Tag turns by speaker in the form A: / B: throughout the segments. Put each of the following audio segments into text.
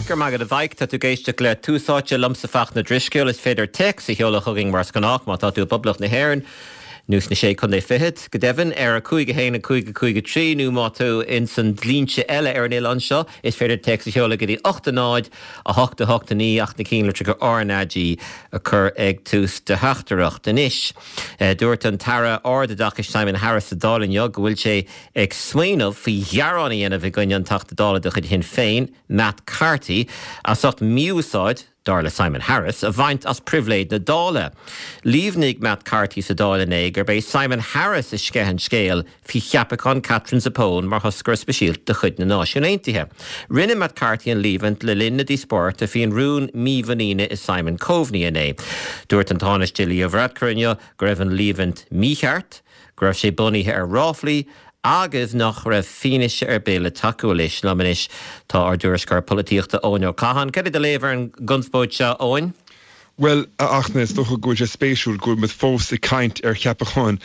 A: Go raibh maith agat a Mhaidhc. Tá tú ag éisteacht le Tús Áite liomsa Fachtna Drisceoil. Is féidir téacs a sheoladh chugainn mar is gnách má tá tú i bPoblacht na hÉireann nó sna Sé Contae Fichead, go deimhin, ar 5 1 5 5 3 nó má tá tú ins an dlínse eile ar an oileán seo is féidir téacs a sheoladh go dtí 8 0 8 8 9 ach na cinnlitreacha RnaG a chur ag tús do theachtaireacht. Anois, dúirt an tAire Ardoideachais Simon Harris sa Dáil inniu go bhfuil sé ag smaoineamh faoi ghearán a dhéanamh i gcoinne an Teachta Dála de chuid Shinn Féin, Matt Carthy, as ucht mí-úsáid, dar le Simon Harris, a bhaint as pribhléid na Dála. Líomhnaigh Matt Carthy sa Dáil inné gurb é Simon Harris a sceith an scéal faoi cheapachán Katherine Zappone mar thoscaire speisialta de chuid na Náisiún Aontaithe. Rinne Matt Carthy an líomhaint le linn na díospóireachta faoin rún mímhuiníne i Simon Coveney inné. Dúirt an Tánaiste Leo Varadkar inniu go raibh an líomhaint mícheart, go raibh sé bunaithe ar ráflaí agus nach raibh fianaise ar bith le tacú leis. Liom anois tá ár dtuairisceoir polaitíochta Eoin Ó Catháin. Cad é do léamh ar an gconspóid seo, Eoin?
B: Bhuel, a Fhachtna, is dócha go bhfuil sé spéisiúil go bhfuil muid fós ag caint ar cheapachán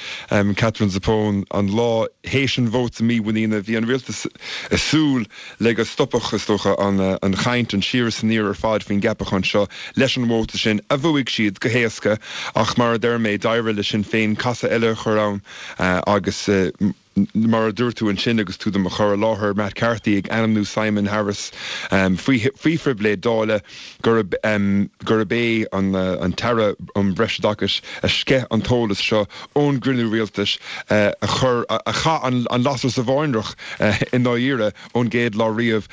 B: Katherine Zappone an lá théis an vóta mímhuiníne. Bhí an rialtas ag súil le go stopfadh, is dócha, an chaint, an siar is aniar ar fad faoin gceapachán seo leis an vóta sin, a bhuaigh siad go héasca. Ach mar a deir mé, d'éirigh le Sinn Féin casadh eile a chur ann agus, mar a dúirt tú ansin agus tú do mo chur i láthair, Matt Carthy ag ainmniú Simon Harris faoi phribhléid Dála, gurb gurb é an tAire um Bhreisoideachais a sceith an t-eolas seo ón gcruinniú rialtais a chuir, a chaith an lasair sa bháinreach i ndáiríre ón gcéad lá riamh.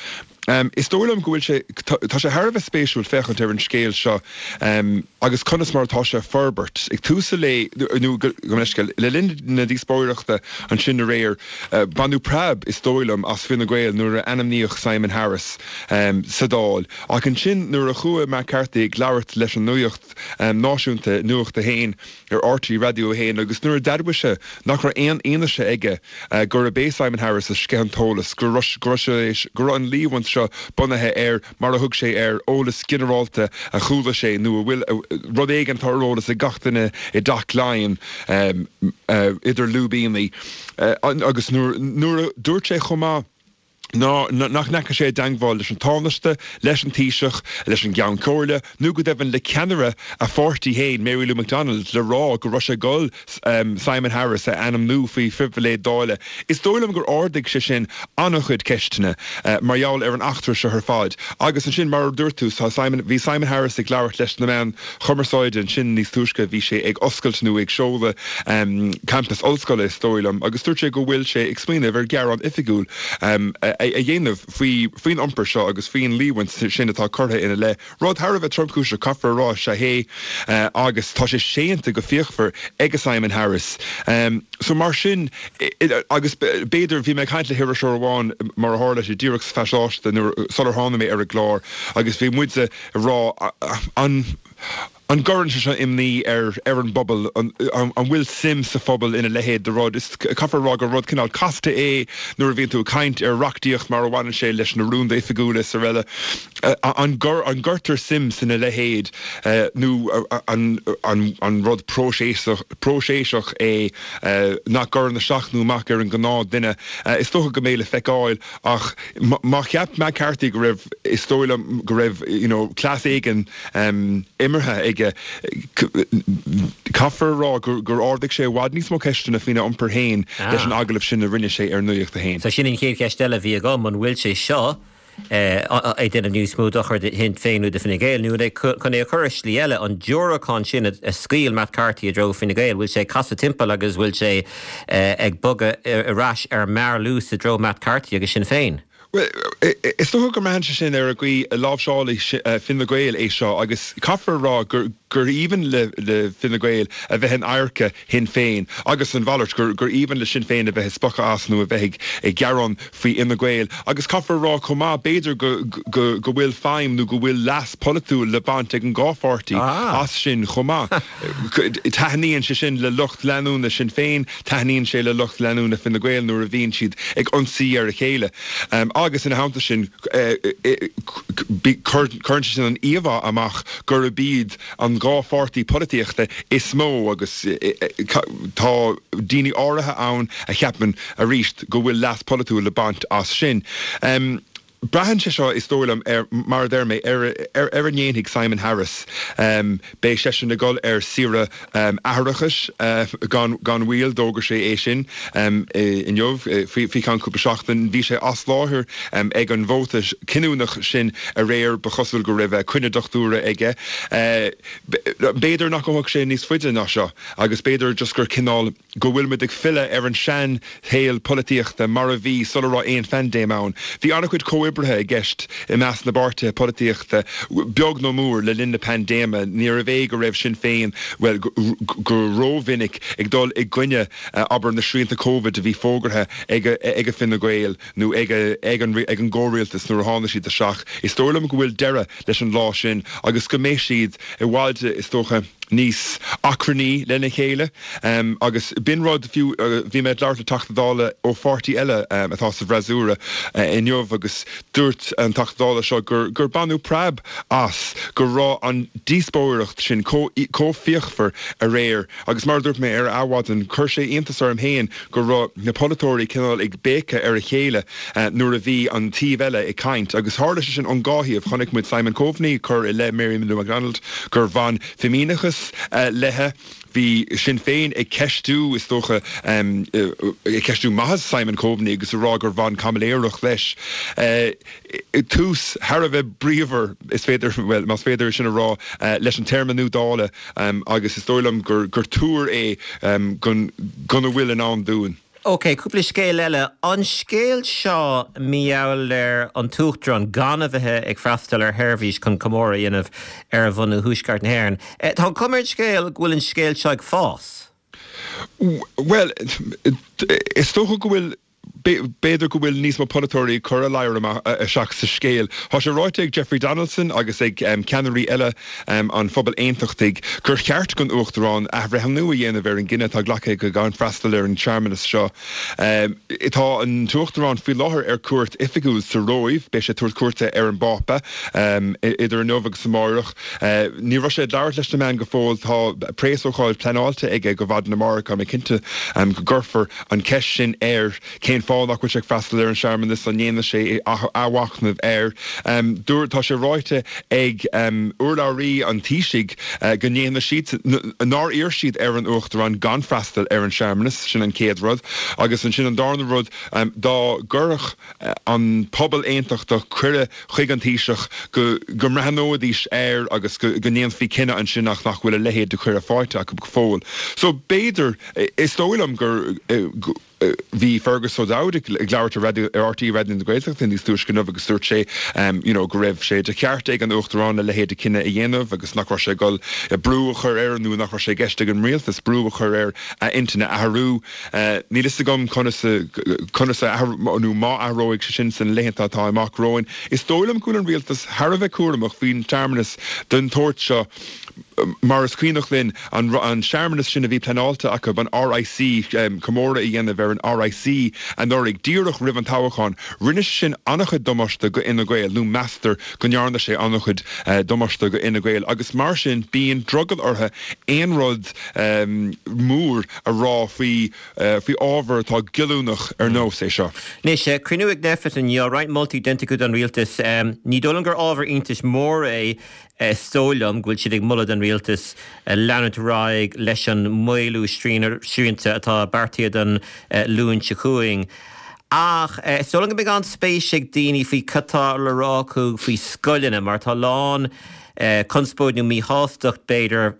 B: Is dóigh liom go bhfuil sé, tá sé thar a bheith spéisiúil féachaint ar an scéal seo agus conas mar atá sé ag forbairt. Ag tús an lae, nó gabh mo leithscéal, le linn na díospóireachta ansin aréir, baineadh preab, is dóigh liom, as Fine Gael nuair a ainmníodh Simon Harris sa Dáil. Ach ansin nuair a chuaigh Matt Carthy ag labhairt leis an nuacht náisiúnta, Nuacht 1, ar RTÉ Raidió 1 agus nuair a d'admhaigh sé nach raibh aon fhianaise aige gurb é Simon Harris a sceith an t-eolas, go raibh go raibh an líomhaint seo bunaithe ar, mar a thug sé air, eolas ginearálta a chuala sé nó a bhfuil rud éigin atá ar eolas ag gach duine i dTeach Laighean idir lúibíní. Agus nuair a dúirt sé chomh maith. ná nach ndeachaigh sé i dteangmháil leis an Tánaiste, leis an Taoiseach, leis an gCeann Comhairle nó go deimhin le ceannaire a pháirtí féin, Mary Lou McDonald, le rá go raibh sé ag dul Simon Harris a ainmniú faoi phribhléid Dála. Is dóigh liom gur ardaigh sé sin an-chuid ceisteanna mar gheall ar an eachtra seo ar fad. Agus ansin, mar a dúirt tú, tá Simon, bhí Simon Harris ag labhairt leis na meáin chumarsáide ansin níos túisce, bhí sé ag oscailt nó ag seoladh campas ollscoile, is dóigh liom, agus dúirt sé go bhfuil sé ag smaoineamh ar ghearán oifigiúil a dhéanamh faoi faoin iompar seo agus faoin líomhaint sin atá curtha ina leith. Rud thar a bheith tromchúiseach, caithfear a rá, is ea é agus tá sé séanta go fíochmhar ag Simon Harris. So mar sin, agus b'fhéidir, bhí mé ag caint le hiriseoir amháin mar a tharla sé díreach sa phasáiste nuair, sular tháinig mé ar an gclár agus bhí muid ag rá an, An gcuireann sé seo imní ar ar an bpobal? An bhfuil suim sa phobal ina leithéid de rud? Is caithfear a rá gur rud cineál casta é nuair a bhíonn tú ag caint ar reachtaíocht mar a bhaineann sé leis na rúnda oifigiúla is araile. An gcuirtear suim sna leithéid nó an rud próiseasach é nach gcuireann isteach nó amach ar an ngnáth duine? Is dócha go mbeidh le feiceáil ach má cheap Matt Carthy go raibh, is dóigh liom go raibh you know cleas éigin imeartha aige. Caithfear a rá gur ardaigh sé i bhfad níos mó ceisteanna faoina iompar féin leis an agallamh sin a rinne sé ar Nuacht a hAon.
A: So sin an chéad cheist eile a bhí agam, an bhfuil sé seo ag déanamh níos mó dochair do Shinn Féin nó do Fine Gael, nó chun é a chur i slí eile, an diúracán sin a scaoil Matt Carthy i dtreo Fine Gael, bhfuil sé ag casadh timpeall agus bhfuil sé ag bogadh ar ais ar mearluas i dtreo Matt Carthy agus Sinn Féin?
B: Bhuel, is dócha go mbraitheann sé sin ar an gcaoi a láimhseálfaidh Fine Gael é seo agus caithfear a rá gur aoibhinn le Fine Gael a bheith in adharca Shinn Féin agus an mhalairt, gur aoibhinn le Sinn Féin a bheith ag spochadh as nó a bheith ag gearán faoi Fhine Gael. Agus caithfear a rá chomh maith, b'fhéidir go bhfuil feidhm nó go bhfuil leas polaitiúil le baint ag an dhá pháirtí as sin chomh maith. Taitníonn sé sin le lucht leanúna Sinn Féin, taitníonn sé le lucht leanúna Fine Gael nuair a bhíonn siad ag ionsaí ar a chéile. Agus ina theannta sin, cuireann sé sin an íomhá amach gurb iad an dhá pháirtí polaitíochta is mó agus tá daoine áirithe ann a cheapann, arís, go bhfuil leas polaitiúil le baint as sin. Braitheann sé seo, is dóigh liom, ar, mar a deir mé, ar ar a ndéanfaidh Simon Harris. Beidh seisean ag dul ar saoire atharachais gan gan mhoill, d'fhógair sé é sin inniu, faoi faoi cheann cúpla seachtain. Bhí sé as láthair ag an vóta cinniúnach sin aréir, ba chosúil go raibh coinne dochtúra aige. B'fhéidir nach ngabhfaidh sé níos faide ná seo agus b'fhéidir just gur cineál, go bhfuil muid ag filleadh ar an sean-shaol polaitíochta mar a bhí sula raibh aon phaindéim ann. Bhí an-chuid comhoibrithe i gceist i measc na bpáirtithe polaitíochta, beag nó mór, le linn na paindéime. Níorbh é go raibh Sinn Féin, bhuel, go rómhinic ag dul i gcoinne, abair, na srianta Covid a bhí fógartha ag Fine Gael nó ag an gcomhrialtas nuair a tháinig siad isteach. Is dóigh liom go bhfuil deireadh leis an lá sin agus go mbeidh siad i bhfad, is dócha, níos achrannaí lena chéile. Agus b'in rud, fiú, bhí mé ag labhairt le Teachta Dála ó pháirtí eile atá sa bhfreasúra inniu agus dúirt an Teachta Dála seo gur gur baineadh preab as go raibh an díospóireacht sin chomh chomh fíochmhar aréir agus mar a dúirt mé ar Adhmhaidin, chuir sé iontas orm féin go raibh na polaiteoirí cineál ag béiceadh ar a chéile nuair a bhí an taobh eile ag caint agus tharla sé sin ón dhá thaobh. Chonaic muid Simon Coveney ag cur i leith Mary Lou McDonald gur bhain fimíneachas léi. Bhí Sinn Féin ag ceistiú, is dócha, ag ceistiú maitheas Simon Coveney agus ag rá gur bhain caimiléireacht leis. Tús thar a bheith bríomhar, is féidir, bhuel, más féidir é sin a rá, leis an téarma nua Dála agus is dóigh liom gur tuar é gona bhfuil i ndán dúinn.
A: Ok, cúpla scéal eile. An scéal seo mar gheall ar an tUachtarán gan a bheith ag freastal ar sheirbhís chun comóradh a dhéanamh ar bhunú Thuaisceart na hÉireann. Tá an chuma ar an scéal go bhfuil an scéal seo ag fás.
B: Bhuel, is dócha go bhfuil, b'fhéidir go bhfuil níos mó polaiteoirí ag cur a ladhar amach isteach sa scéal. Tá sé ráite ag Jeffrey Donaldson agus ag ceannairí eile an phobail aontachtaigh gur cheart don Uachtarán athbhreithniú a dhéanamh ar an gcinneadh atá glactha aige gan freastal ar an searmanas seo. Tá an tUachtarán faoi láthair ar cuairt oifigiúil sa Róimh. Beidh sé ag tabhairt cuairte ar an bPápa idir inniu agus amáireach. Ní raibh sé ag labhairt leis na meáin go fóill. Tá préasócáid pleanáilte aige do mhaidin amárach. Tá mé cinnte go gcuirfear an cheist sin air. Cén fáth nach bhfuil sé ag freastal ar an searmanas? An ndéanfaidh sé athmhachnamh air? Dúirt, tá sé ráite ag urlabhraí an Taoisigh go ndéanfaidh siad, nár iarr siad ar an Uachtarán gan freastal ar an searmanas, sin an chéad rud. Agus ansin an darna rud, dá gcuirfeadh an pobal aontachtach cuireadh chuig an Taoiseach go go mbreathnóidís air agus go go ndéanfaí cinneadh ansin ach nach bhfuil a leithéid de chuireadh faighte acu go fóill. So b'fhéidir, is dóigh liom gur, Bhí Fergus O'Dowd ag labhairt ar ar RTÉ Raidió na Gaeltachta níos túisce inniu agus dúirt sé you know go raibh sé de cheart ag an Uachtarán a leithéid de chinneadh a dhéanamh agus nach raibh sé ag dul brú a chur air nó nach raibh sé i gceist ag an rialtas brú a chur air a intinn a athrú. Níl fhios agam conas conas a nó má athróidh sé sin sna laethanta atá amach romhainn. Is dóigh liom go bhfuil an rialtas thar a bheith cúramach faoin searmanas den tsórt seo. Mar is cuimhneach linn, an searmanas sin a bhí pleanáilte acu, an RIC, comóradh a dhéanamh ar an RIC anuraidh, díreach roimh an toghchán, rinne sé sin an-chuid damáiste go Fhine Gael, nó meastar go ndearna sé an-chuid damáiste go Fhine Gael, agus mar sin bíonn drogall orthu aon rud mór a rá faoi faoi ábhar atá goilliúnach ar nós é seo.
A: Anois, cruinniú ag Nphet inniu, roinnt moltaí déanta acu don rialtas. Ní dóigh liom gur ábhar iontais mór é Is dóigh liom go bhfuil siad ag moladh don rialtas leanúint ar aghaidh leis an maolú srianta atá beartaithe don Luan seo chugainn. Ach is dóigh liom go mbeidh an-spéis ag daoine faoi cad tá le rá acu faoi scoileanna mar tá a lán conspóid nó míshástacht b'fhéidir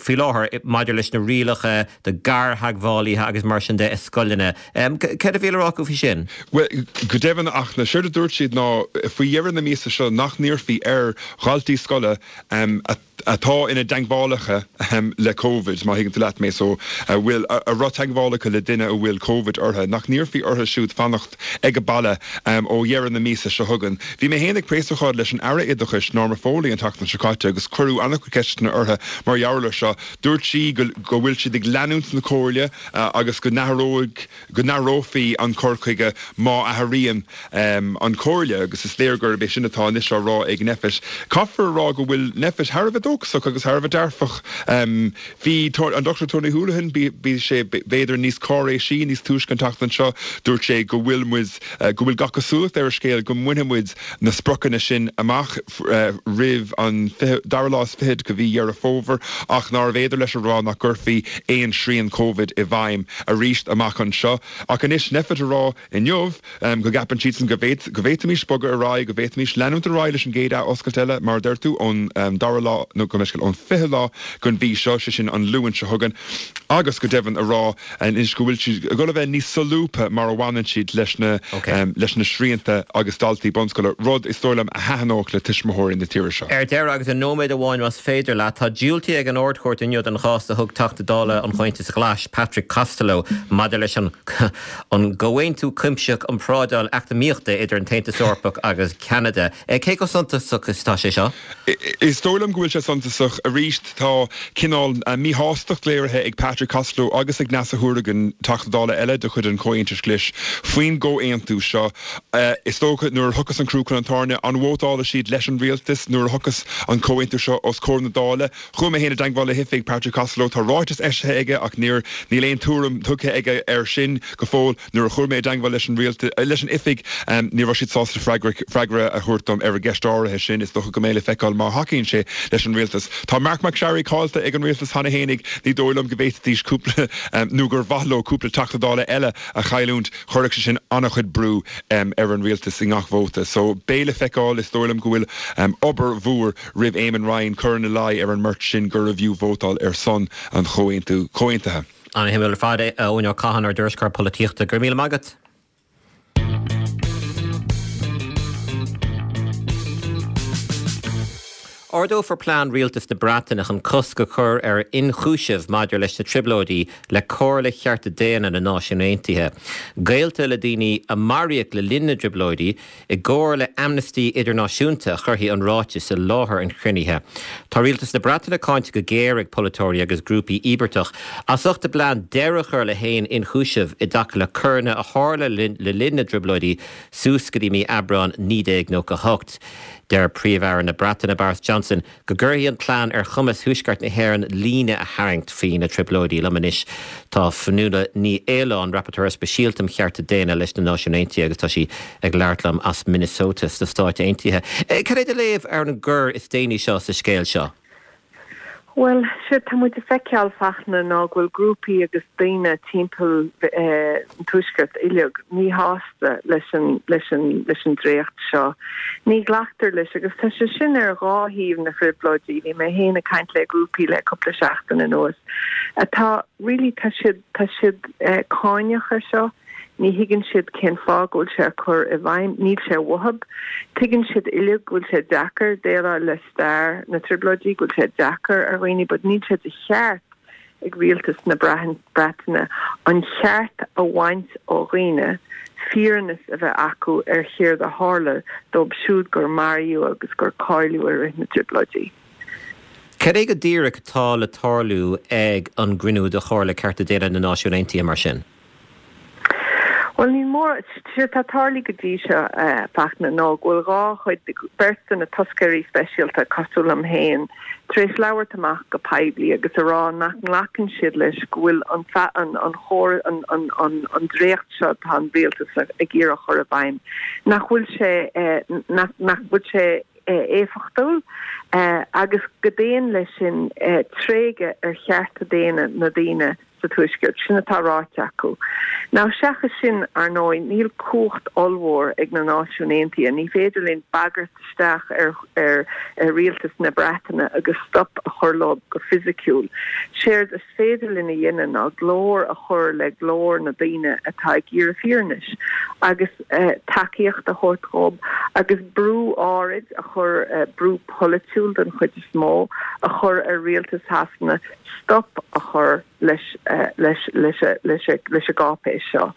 A: faoi láthair maidir leis na rialacha do ghartheagmhálaithe agus mar sin de i scoileanna. Céard a bhí le rá acu faoi sin?
B: Bhuel, go deimhin, ach séard a dúirt siad ná faoi dheireadh na míosa seo nach n-iarrfaí ar dhaltaí scoile atá ina dteagmhálacha le Covid, má thuigeann tú leat mé, so a bhfuil, a raibh teagmháil acu le duine a bhfuil Covid orthu, nach n-iarrfaí orthu siúd fanacht ag baile ó dheireadh na míosa seo chugainn. Bhí mé féin ag préasócáid leis an Aire Oideachais, Norma Foley, an. tseachtain seo caite agus cuireadh an-chuid ceisteanna uirthi mar gheall air seo. Dúirt sí go bhfuil siad ag leanúint na comhairle agus go n-athróidh, go n-athrófaí an cur chuige má athraíonn an chomhairle agus is léir gurb é sin atá anois á rá ag Nphet. Caithfear a rá go bhfuil Nphet thar a bheith dóchasach agus thar a bheith dearfach. Bhí an Dr Tony Holohan, bhí sé b'fhéidir níos cáiréisí níos túisce an tseachtain seo, dúirt sé go bhfuil muid, go bhfuil gach cosúlacht ar an scéal go mbainfidh muid na spriocanna sin amach roimh an dara lá is fichead de mhí Dheireadh Fómhair ach nárbh fhéidir leis a rá nach gcuirfí aon srian Covid i bhfeidhm arís amach anseo. Ach anois Nphet a rá inniu go gceapann siadsan go bhféadfaimis bogadh ar aghaidh, go bhféadfaimis leanúint ar aghaidh leis an gcéad athoscailt eile, mar a deir tú, ón dara lá, nó gabh mo leithscéal, ón 20ú lá den mhí seo, sé sin an Luan seo chugainn, agus go deimhin a rá anois go bhfuil siad ag dul a bheith níos solúbtha mar a bhaineann siad leis na leis na srianta agus daltaí bunscoile, rud is dóigh liom a thaitneodh le tuismitheoirí na tíre seo.
A: Ar deireadh, agus i nóiméad amháin más féidir leat, tá diúltaithe ag an Ard-Chúirt inniu don chás a thug Teachta Dála an Chomhaontais Ghlais, Patrick Costello, maidir leis an an gComhaontú Cuimsitheach um Thrádáil Eacnamaíochta idir an tAontas Eorpach agus Ceanada. Cé chomh suntasach is atá sé seo?
B: Is dóigh liom go bhfuil sé suntasach. Arís, tá cineál míshástacht léirithe ag Patrick Costello agus ag Neasa Hourigan, Teachta Dála eile de chuid an Chomhaontais Ghlais, faoin gcomhaontú seo. Is dócha, nuair a thiocfas an crú chun an tairne, an vótálfaidh siad leis an rialtas nuair a thiocfas an comhaontú seo os comhair na Dála? Chuaigh mé féin i dteagmháil le hoifig Patrick Costello. Tá ráiteas eisithe aige ach níor, níl aon tuairim tugtha aige air sin go fóill. Nuair a chuir mé i dteagmháil leis an rialtas, leis an oifig, ní raibh siad sásta freagra, freagra a thabhairt dom ar an gceist áirithe sin. Is dócha go mbeidh le feiceáil má thacaíonn sé leis an rialtas. Tá Marc MacSharry caillte ag an rialtas cheana fhéinig. Ní dóigh liom go bhféadfaidís cúpla, nó gur mhaith leo cúpla Teachta Dála eile a chailliúint. Chuirfeadh sé sin an-chuid brú ar an rialtas i ngach vóta. So, beidh le feiceáil. Is dóigh liom go bhfuil obair mhór roimh Eamon Ryan cur ina luí ar an mbeirt sin gurbh fhiú vótáil ar son an chomhaontú, comhaontaithe.
A: An-shuimiúil ar fad, a Eoin Ó Catháin, ár dtuairisceoir polaitíochta. Go raibh míle maith agat. Ardófar plean Rialtas na Breataine chun cosc a chur ar ionchúiseamh maidir leis na Trioblóidí le Comhairle Chearta Daonna na Náisiún Aontaithe. Gaolta le daoine a maraíodh le linn na dTrioblóidí i gcomhar le Amnesty Idirnáisiúnta a chuirfidh an ráiteas i láthair an chruinnithe. Tá Rialtas na Breataine cáinte go géar ag polaiteoirí agus grúpaí íobartach as ucht a bplean deireadh a chur le haon ionchúiseamh i dtaca le coireanna a tharla le linn na dTrioblóidí suas go dtí mí Aibreáin 1998. Deir Príomh-Aire na Breataine Boris Johnson go gcuirfidh an plean ar chumas Thuaisceart na hÉireann líne a tharraingt faoi na Trioblóidí. Liom anois tá Fionnuala Ní Aoláin, Rapporteur Speisialta um Chearta Daonna leis na Náisiúin Aontaithe agus tá sí ag labhairt liom as Minnesota sna Stáit Aontaithe. Cad é do léamh ar an gcor is déanaí seo sa scéal seo?
C: Bhuel, séard tá muid ag feiceáil, Fachtna, ná go bhfuil grúpaí agus daoine timpeall an Tuaiscirt uilig míshásta leis an, leis an, leis an dréacht seo. Ní ghlactar leis agus tá sé sin ar dhá thaobh na dTrioblóidí. Bhí mé féin ag caint le grúpaí le cúpla seachtain anuas atá, really, tá siad, tá siad cáineach ar seo. Ní thuigeann siad cén fáth go bhfuil sé á cur i bhfeidhm. Níl sé uathub. Tuigeann siad uilig go bhfuil sé deacair déileáil le stair na dTrioblóidí, go bhfuil sé deacair ar dhaoine, but níl sé de cheart ag rialtas na Breataine an cheart a bhaint ó dhaoine fírinneas a bheith acu ar chéard a tharla dóibh siúd gur maraíodh agus gur cailleadh i rith na dTrioblóidí.
A: Cad é go díreach atá le tarlú ag an gcruinniú de Chomhairle Cearta Daonna na Náisiún Aontaithe mar sin?
C: Bhuel, níl mórán, séard atá tarlaithe go dtí seo, a Fhachtna, ná go bhfuil dhá chuid, beirt de na toscairí speisialta, cosúil liom féin, tar éis labhairt amach go poiblí agus a rá nach nglacann siad leis go bhfuil an, an, an chóir, an, an, an, an dréacht seo atá an rialtas ag iarraidh a chur i bhfeidhm, nach bhfuil sé, nach, nach bhfuil sé éifeachtúil agus go dtéann leis sin tréigeadh ar chearta daonna na daoine sa Tuaisceart. Sin atá ráite acu. Now, seachas sin, ar ndóigh, níl cumhacht ollmhór ag na Náisiúin Aontaithe. Ní féidir linn bagairt isteach ar ar rialtas na Breataine agus stop a chur leo go fisiciúil. Séard is féidir linn a dhéanamh ná glór a chur le glór na daoine atá ag iarraidh fírinnis agus tacaíocht a thabhairt dhób agus brú áirid a chur, brú polaitiúil den chuid is mó, a chur ar rialtas Shasana stop a chur leis leis leis leis an gcáipéis seo.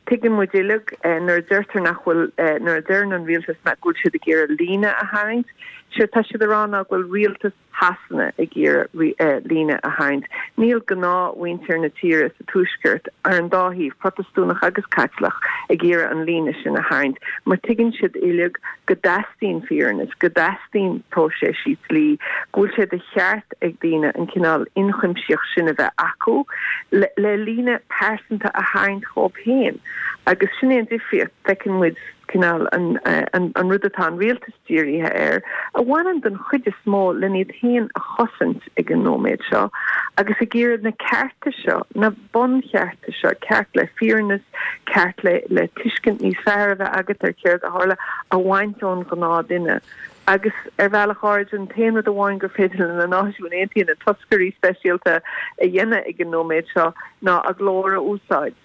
C: Tuigeann muid uilig nuair a deirtear nach bhfuil, nuair a deireann an rialtas nach bhfuil siad ag iarraidh líne a tharraingt, séard tá siad a rá ná go bhfuil rialtas Shasana ag iarraidh líne a tharraingt. Níl gnáthmhuintir na tíre sa Tuaisceart, ar an dá thaobh, Protastúnach agus Caitliceach, ag iarraidh an líne sin a tharraingt, mar tuigeann siad uilig go dteastaíonn fírinne, go dteastaíonn próiseas dlí, go bhfuil sé de cheart ag daoine an cineál ionchuimsitheacht sin a bheith acu le líne pearsanta a tharraingt dhóibh féin. Agus sin é an difríocht, feiceann muid cineál an rud atá an rialtas dírithe air, a bhaineann den chuid is mó len iad féin a chosaint ag an nóiméad seo, agus ag iarraidh na cearta seo, na bunchearta seo, ceart le fírinneas, ceart le le tuiscint níos fearr a bheith agat ar céard a tharla, a bhaint ón ghnáthduine. Agus ar bhealach áirid, an t-aon rud amháin gur féidir le na Náisiúin Aontaithe, na toscairí speisialta, a dhéanamh ag an nóiméad seo ná a nglór a úsáid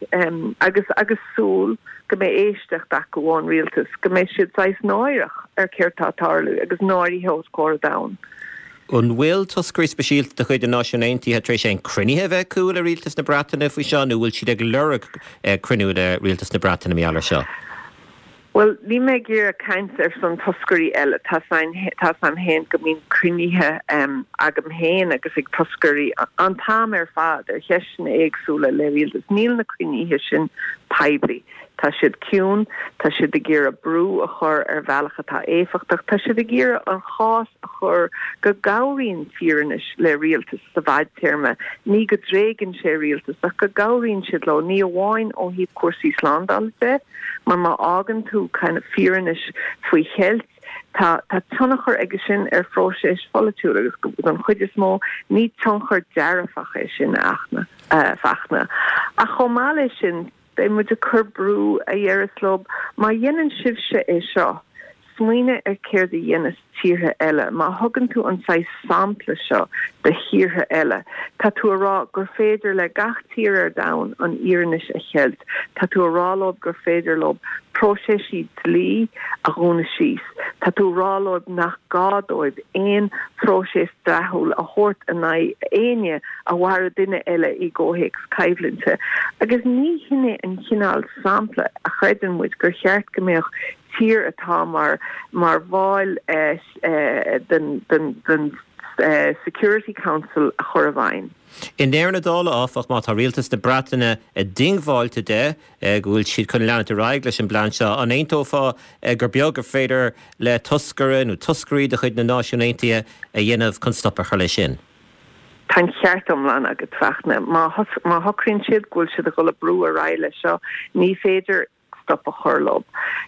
C: agus agus súil go mbeidh éisteacht acu ón rialtas, go mbeidh siad saghas náireach ar céard tá ag tarlú agus náirithe os comhair an domhain.
A: An bhfuil toscairí speisialta de chuid na Náisiún Aontaithe tar éis aon cruinnithe a bheith acu le rialtas na Breataine faoi seo nó bhfuil siad ag lorg cruinniú le rialtas na Breataine mar gheall air seo?
C: Bhuel, níl mé ag iarraidh caint ar son toscairí eile. Tá 's a'm féin go mbíonn cruinnithe agam féin agus ag toscairí an t-am ar fad ar cheisteanna éagsúla le rialtas. Níl na cruinnithe sin poiblí. Tá siad ciúin, tá siad ag iarraidh brú a chur ar bhealach atá éifeachtach, tá siad ag iarraidh an chás a chur go gcabhraíonn fírinne le rialtas sa bhfadtéarma, ní go dtréigeann sé rialtas ach go gcabhraíonn siad leo, ní amháin ó thaobh cúrsaí slándála de, Mar má fhágann tú kind of fírinne faoi cheilt, tá tá tionchar aige sin ar phróiseas pholaitiúil agus don chuid is mó ní tionchar dearfach é sin a Fhachtna. Ach chomh maith leis sin, beidh muid ag cur brú a dhéarfas leo, má dhéanann sibhse é seo, smaoinigh ar céard a dhéanas tíortha eile. Má thugann tú an saghas sampla seo do thíortha eile, tá tú a rá gur féidir le gach tír ar domhan an fhírinne a cheilt. Tá tú a rá leo gur féidir leo próiseasaí dlí a dhúnadh síos. Tá tú a rá leo nach gá dóibh aon phróiseas dleathúil a thabhairt in aghaidh éinne a mharaigh duine eile i gcomhthéacs coimhlinte. Agus ní hin é an chineál sampla a chreideann muid gur cheart go mbeadh tír atá mar mar bhall den den Security Council a chur i bhfeidhm.
A: I ndeireadh na dála, áfach, má tá rialtas na Breataine diongbháilte de go bhfuil siad chun leanúint ar aghaidh leis an bplean seo, an aontófá gur beag gur féidir le toscaire nó toscairí de chuid na Náisiún Aontaithe a dhéanamh chun stop a chur leis sin?
C: Tá an ceart iomlán agat, Fachtna. Má má shocraíonn siad go bhfuil siad ag dul ag brú ar aghaidh leis seo, ní féidir stop a chur leo.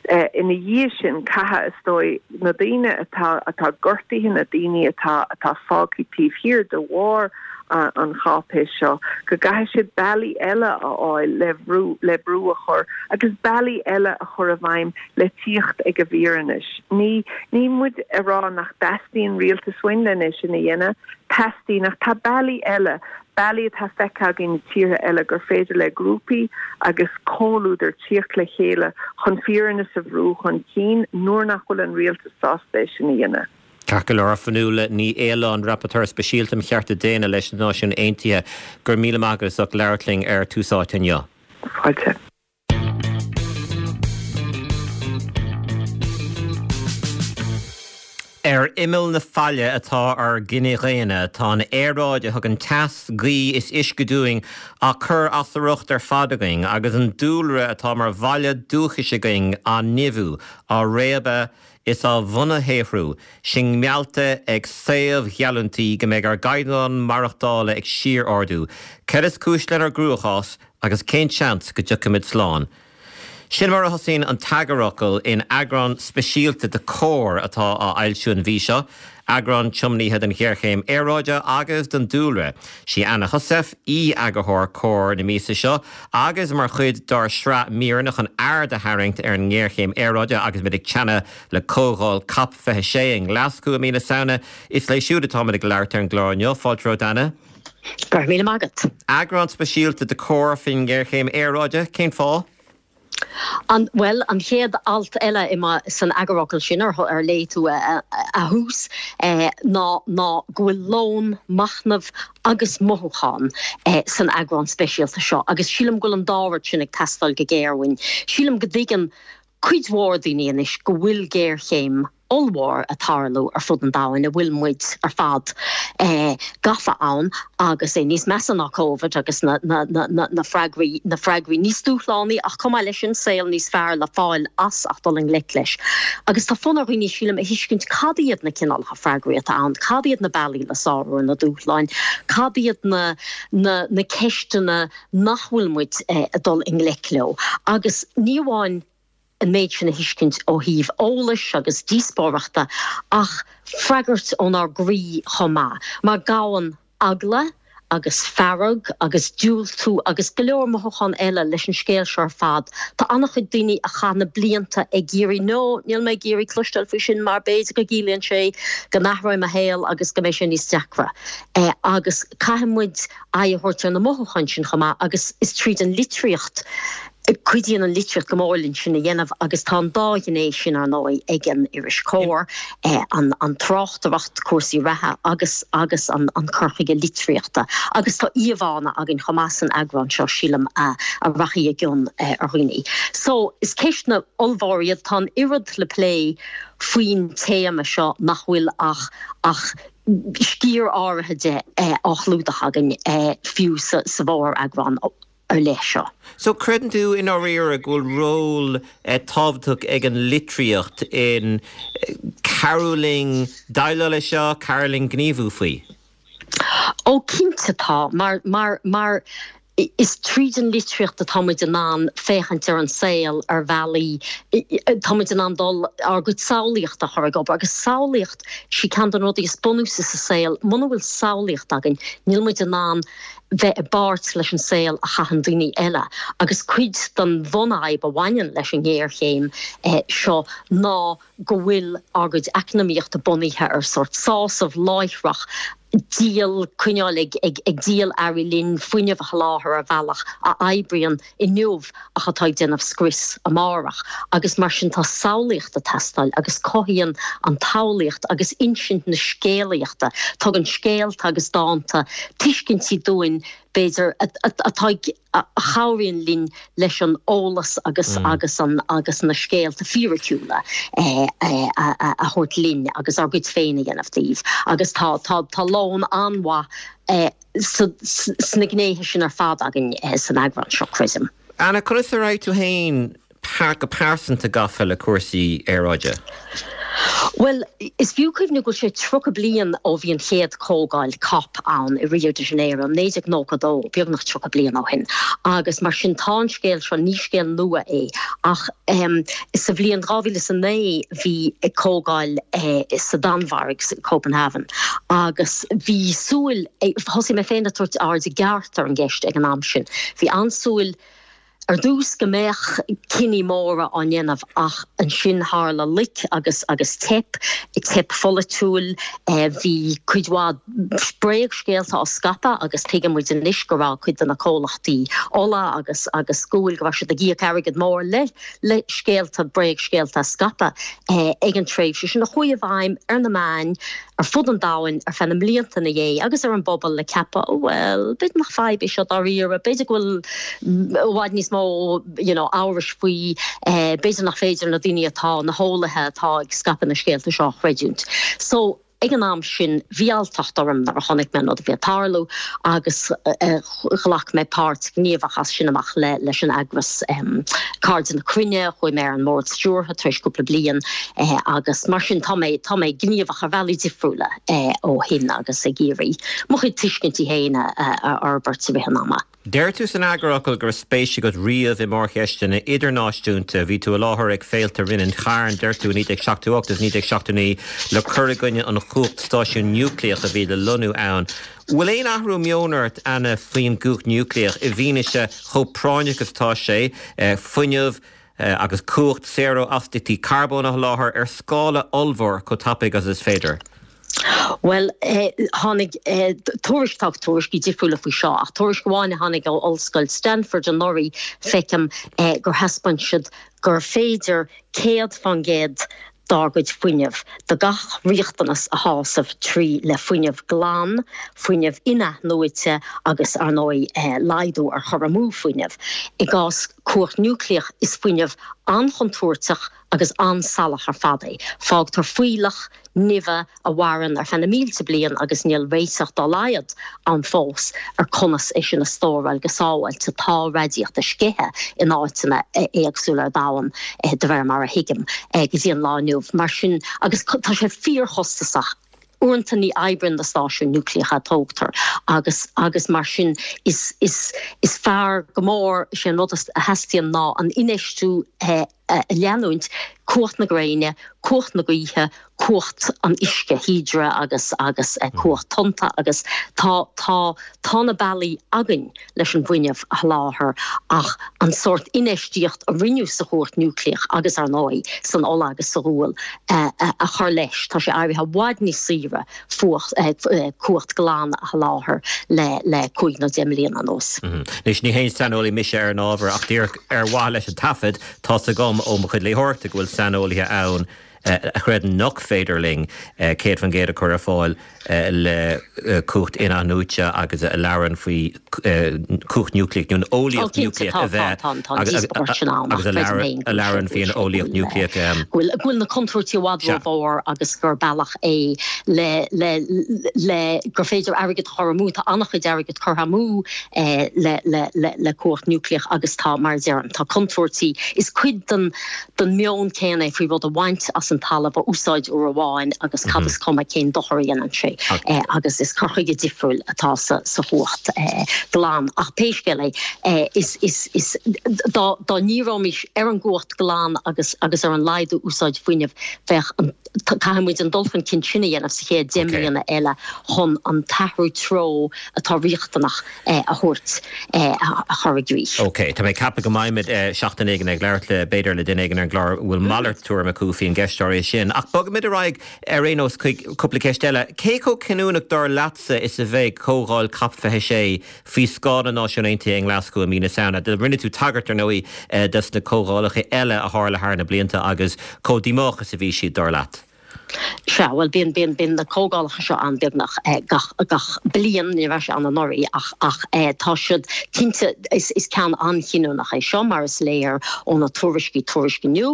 C: Ina dhiaidh sin, caithfidh, is dóigh, na daoine atá atá gortaithe, na daoine atá atá fágtha taobh thiar de bharr an cháipéis seo, go gcaithfidh siad bealaí eile a fháil le bhrú le brú a chur agus bealaí eile a chur i bhfeidhm le tíocht ag an bhfírinne. Ní ní muid a rá nach dteastaíonn rialtas uainn len é sin a dhéanamh, teastaíonn ach tá bealaí eile bealaí atá feicthe againn i tíortha eile gur féidir le grúpaí agus comhluadar tíocht le chéile chun fírinne a bhrú chun cinn nuair nach bhfuil an rialtas sásta é sin a dhéanamh.
A: Ceart go leor, Fionnuala Ní Aoláin, Rapporteur Speisialta um Chearta Daonna leis na Náisiúin Aontaithe, go raibh míle maith agat as ucht labhairt linn ar Tús Áite inniu.
C: Fáilte.
A: Ar imeall na faille atá ár gcine dhaonna. Tá an aeráid a thugann teas, gaoth is uisce dúinn á cur as a riocht ar fad againn agus an dúlra atá mar bhaile dúchais againn á nimhiú, á réabadh is á bhunashaothrú, sinn meallta ag saobhgheallúintí go mbeidh ár gcaighdeán maireachtála ag síor-ardú. Céard is cúis lenár gcruachás? Agus cén seans go dtiocfaimid slán? Sin mar a thosaíonn an t-eagarfhocal in eagrán speisialta de Comhar atá á fhoilsiú an mhí seo, eagrán tiomnaithe don ghéarchéim aeráide agus don dúlra. Sí Anna Heussaff aoi-eagarthóir Comhar na míosa seo agus mar chuid dár sraith míreanna chun aird a tharraingt ar an ngéarchéim aeráide agus muid ag teannadh le comhdháil Cop 26 i nGlaschú i mí na Samhna, is léi siúd atáimid ag labhairt ar an gclár inniu. Fáilte romhat Anna.
D: Go raibh míle maith agat.
A: Eagrán speisialta de Comhar faoin ngéarchéim aeráide, cén fáth?
D: An, bhuel, an chéad alt eile i mo, san eagarfhocal sin ar, ar léigh tú a, a thús, ná, ná go bhfuil lón machnaimh agus mothúchán san eagrán speisialta seo agus sílim go bhfuil an dá rud sin ag teastáil go géar uainn. Sílim go dtuigeann cuid mhór daoine anois go bhfuil géarchéim ollmhór ag tarlú ar fud an domhain, a bhfuil muid ar fad gafa ann agus é níos measa ná Covid agus na freagraí, na freagraí níos dúshlánaí ach chomh maith leis sin saol níos fearr le fáil as ach dul i ngleic leis. Agus tá fonn ar dhaoine, sílim, a thuiscint cad iad na cineálacha freagraí atá ann, cad iad na bealaí le sárú ar na dúshláin, cad iad na na na ceisteanna nach bhfuil muid ag dul i ngleic leo agus ní amháin an méid sin a thuiscint ó thaobh eolais agus díospóireachta ach freagairt ónár gcroí chomh maith, mar gabhann eagla agus fearg agus diúltú agus go leor mothúchán eile leis an scéal seo ar fad. Tá an-chuid daoine a chaith na blianta ag iarraidh 'no, níl mé ag iarraidh cloisteáil faoi sin mar b'fhéidir go gciallaíonn sé go n-athróidh mo shaol agus go mbeidh sé níos deacra' agus caithfidh muid aghaidh a thabhairt ar na mothúcháin sin chomh maith agus is tríd an litríocht, cuidíonn an litríocht go mór linn sin a dhéanamh agus tá an dá ghné sin, ar ndóigh, ag an iris Comhar, an tráchtaireacht, cúrsaí reatha agus agus an cur chuige litríochta. Agus tá íomhánna againn chomh maith san eagrán seo, sílim, a rachaidh i gcion ar dhaoine. So, is ceisteanna ollmhóra iad. Tá an oiread le plé faoin téama seo nach bhfuil ach ach sciar áirithe de á chlúdach againn fiú sa mhóreagrán ar leith seo.
A: So, creideann tú i ndáiríre go bhfuil ról tábhachtach ag an litríocht in cabhrú linn déileáil leis seo, cabhrú linn gníomhú faoi?
D: Ó, cinnte tá, mar, mar, mar is tríd an litríocht atá muid in ann féachaint ar an saol ar bhealaí, tá muid in ann dul, ár gcuid samhlaíochta a chur ag obair agus samhlaíocht, sí ceann de na rudaí is bunúsaí sa saol, muna bhfuil samhlaíocht againn, níl muid in ann bheith i bpáirt leis an saol a chaitheann daoine eile agus cuid den bhunfhadhb a bhaineann leis an ngéarchéim seo ná go bhfuil ár gcuid eacnamaíochta bunaithe ar sórt sásamh láithreach, díol, coinneáil ag ag díol earraí linn, fuinneamh a sholáthar ar bhealach a oibríonn inniu ach atá ag déanamh scrios amárach. Agus mar sin tá samhlaíocht ag teastáil agus cothaíonn an tsamhlaíocht agus insint na scéalaíochta, tugann scéalta agus dánta tuiscintí dúinn b'fhéidir atá ag a chabhraíonn linn leis an eolas agus agus an agus na scéalta fíriciúla a thabhairt linn agus ár gcuid féin a dhéanamh díobh. Agus tá tá tá lón an-mhaith sna gnéithe sin ar fad againn san eagrán seo, creidim.
A: Anna, conas a raibh tú féin go pearsanta gafa le cúrsaí aeráide?
D: Bhuel, is fiú cuimhneamh go bhfuil sé 30 bliain ó bhí an chéad chomhdháil cop ann i Rio de Janeiro, 1992, beagnach 30 bliain ó shin. Agus mar sin tá an scéal seo, ní scéal nua é, ach sa bhliain 2009 bhí comhdháil sa Danmhairg, Copenhagen, agus bhí súil, thosaigh mé féin ag tabhairt aird i gceart ar an gceist ag an am sin, bhí an-súil ar dtús go mbeadh cinní móra á ndéanamh ach ansin tharla loic agus agus teip, teip pholaitiúil. Bhí cuid mhaith bréagscéalta á scaipeadh agus tuigeann muid anois go raibh cuid de na comhlachtaí ola agus agus guail, go raibh siad ag íoc airgead mór le le scéalta, bréagscéalta a scaipeadh ag an tréimhse sin a chuaigh i bhfeidhm ar na meáin ar fud an domhain ar feadh na mblianta ina dhiaidh agus ar an bpobal le ceapadh, oh bhuel, b'fhéidir nach fadhb é seo dáiríre, b'fhéidir go bhfuil i bhfad níos mó you know amhrais faoi, b'fhéidir nach féidir na daoine atá, na heolaithe atá ag scaipeadh na scéalta seo a chreidiúint. So. Ag an am sin, bhí alltacht orm nuair a chonaic mé an rud a bhí ag tarlú agus ghlac mé páirt ghníomhach as sin amach leis an eagras Cairde na Cruinne, chuaigh mé ar an mbord stiúrtha tar éis cúpla bliain agus mar sin tá mé tá mé gníomhach ar bhealaí difriúla ó shin agus ag iarraidh mo chuid tuiscintí féin a fhorbairt i rith an ama.
A: Deir tú san eagarfhocal go raibh spéis agat riamh i mórcheisteanna idirnáisiúnta. Bhí tú i láthair ag féilte Rinn an Chairn, deir tú, i 1978 agus 1979 le cur i gcoinne an chumhacht stáisiún núicléach a bhí le lonnú ann. Bhfuil aon athrú meoin ort, Anna, faoin gcumhacht núicléach i bhfianaise chomh práinneach is atá sé fuinneamh agus cumhacht saor ó astaíochtaí carbóin a sholáthar ar scála ollmhór chomh tapaidh agus is féidir?
D: Bhuel, tháinig tuairisc, tá tuairiscí difriúla faoi seo, ach tuairisc amháin a tháinig ó Ollscoil Stanford anuraidh, feicim gur thaispeáin siad gur féidir 100% dár gcuid fuinnimh, do gach riachtanas a shásamh trí le fuinneamh glan, fuinneamh in-athnuaite agus, ar ndóigh, laghdú ar chur amú fuinnimh. I gcás cumhacht núicléach, is fuinneamh an-chontúirteach agus an-salach ar fad é. Fágtar fuílleach nimhe a mhaireann ar feadh na mílte bliain agus níl réiteach dá laghad ann fós ar conas é sin a stóráil go sábháilte. Tá radaíocht sceithe in áiteanna éagsúla ar domhan, de réir mar a thuigim, go dtí an lá inniu. Mar sin, agus tá sé fíorchostasach, uaireanta ní oibríonn na stáisiúin núicléacha a tógtar agus agus mar sin is is is fearr go mór, is é an rud a theastaíonn ná an infheistiú a a leanúint, cumhacht na gréine, cumhacht na gaoithe, cumhacht an uisce, hydro agus agus cumhacht tonnta agus tá tá tá na bealaí againn leis an bhfuinneamh a sholáthar ach an sórt infheistíocht a rinneadh sa chumhacht núicléach agus ar ndóigh san ola agus sa ghual a a chur leis, tá sé éirithe i bhfad níos saoire fuacht cumhacht glan a sholáthar le le 5 nó 10 mbliana anuas.
A: Anois, ní haon saineolaí mise ar an ábhar ach díreach ar mhaithe leis an taifead, tá's agam ó mo chuid léitheoireachta go bhfuil saineolaithe ann a chreideann nach féidir linn 100% a chur ar fáil le cumhacht in-athnuaite agus a labhrann faoi chumhacht núicléach nó an eolaíocht núicléach a bheith agus a labhrann faoi an eolaíocht núicléach.
D: Go bhfuil na contúirtí i bhfad rómhór agus gur bealach é le le le gur féidir airgead a chur amú, tá an-chuid airgid curtha amú le le le le cumhacht núicléach agus tá, mar a deirim, tá contúirtí. Is cuid den den meon céanna é faoi rud a bhaint as an talamh, a úsáid uair amháin agus cad is cuma cén dochar a dhéanann sé agus is cur chuige difriúil atá sa sa chumhacht glan. Ach pé scéal é, is is is dá dá ndíreoimis ar an gcumhacht glan agus agus ar an laghdú úsáid fuinnimh, bheadh an Caithfidh muid an dul chun cinn sin a dhéanamh sa chéad 10 mbliana eile chun an t-athrú treo atá riachtanach a thabhairt, a chur i gcrích.
A: Ok, tá mé ag ceapadh go mbeimid seachtain éigin ag labhairt le, b'fhéidir, le duine éigin ar an gclár a bhfuil malairt tuairim acu faoin gceist áirithe sin. Ach bogfaimid ar aghaidh ar aon nós chuig cúpla ceist eile. Cé chomh cinniúnach dar leatsa is a bheidh comhdháil Cop 26 faoi scáth na Náisiún Aontaithe i nGlaschú i mí na Samhna. Rinne tú tagairt, ar ndóigh, dos na comhdhálacha eile a tharla thar na blianta agus chomh díomách is a bhí siad, dar leat.
D: Sea, bhuel, bíonn, bíonn, bíonn na comhdhálacha seo ann beagnach gach, gach bliain, ní raibh sé ann anuraidh ach, ach tá siad, cinnte, is, is ceann an-chinniúnach é seo mar is léir ó na tuairiscí, tuairisc inniu,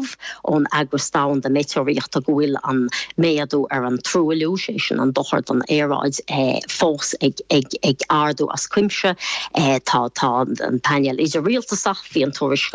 D: ón Eagras Domhanda Meitéareolaíochta go bhfuil an méadú ar an truailliú, sé sin an dochar don aeráid, fós ag ardú as cuimse. Tá tá an Painéal Idir-Rialtasach, bhí an tuairisc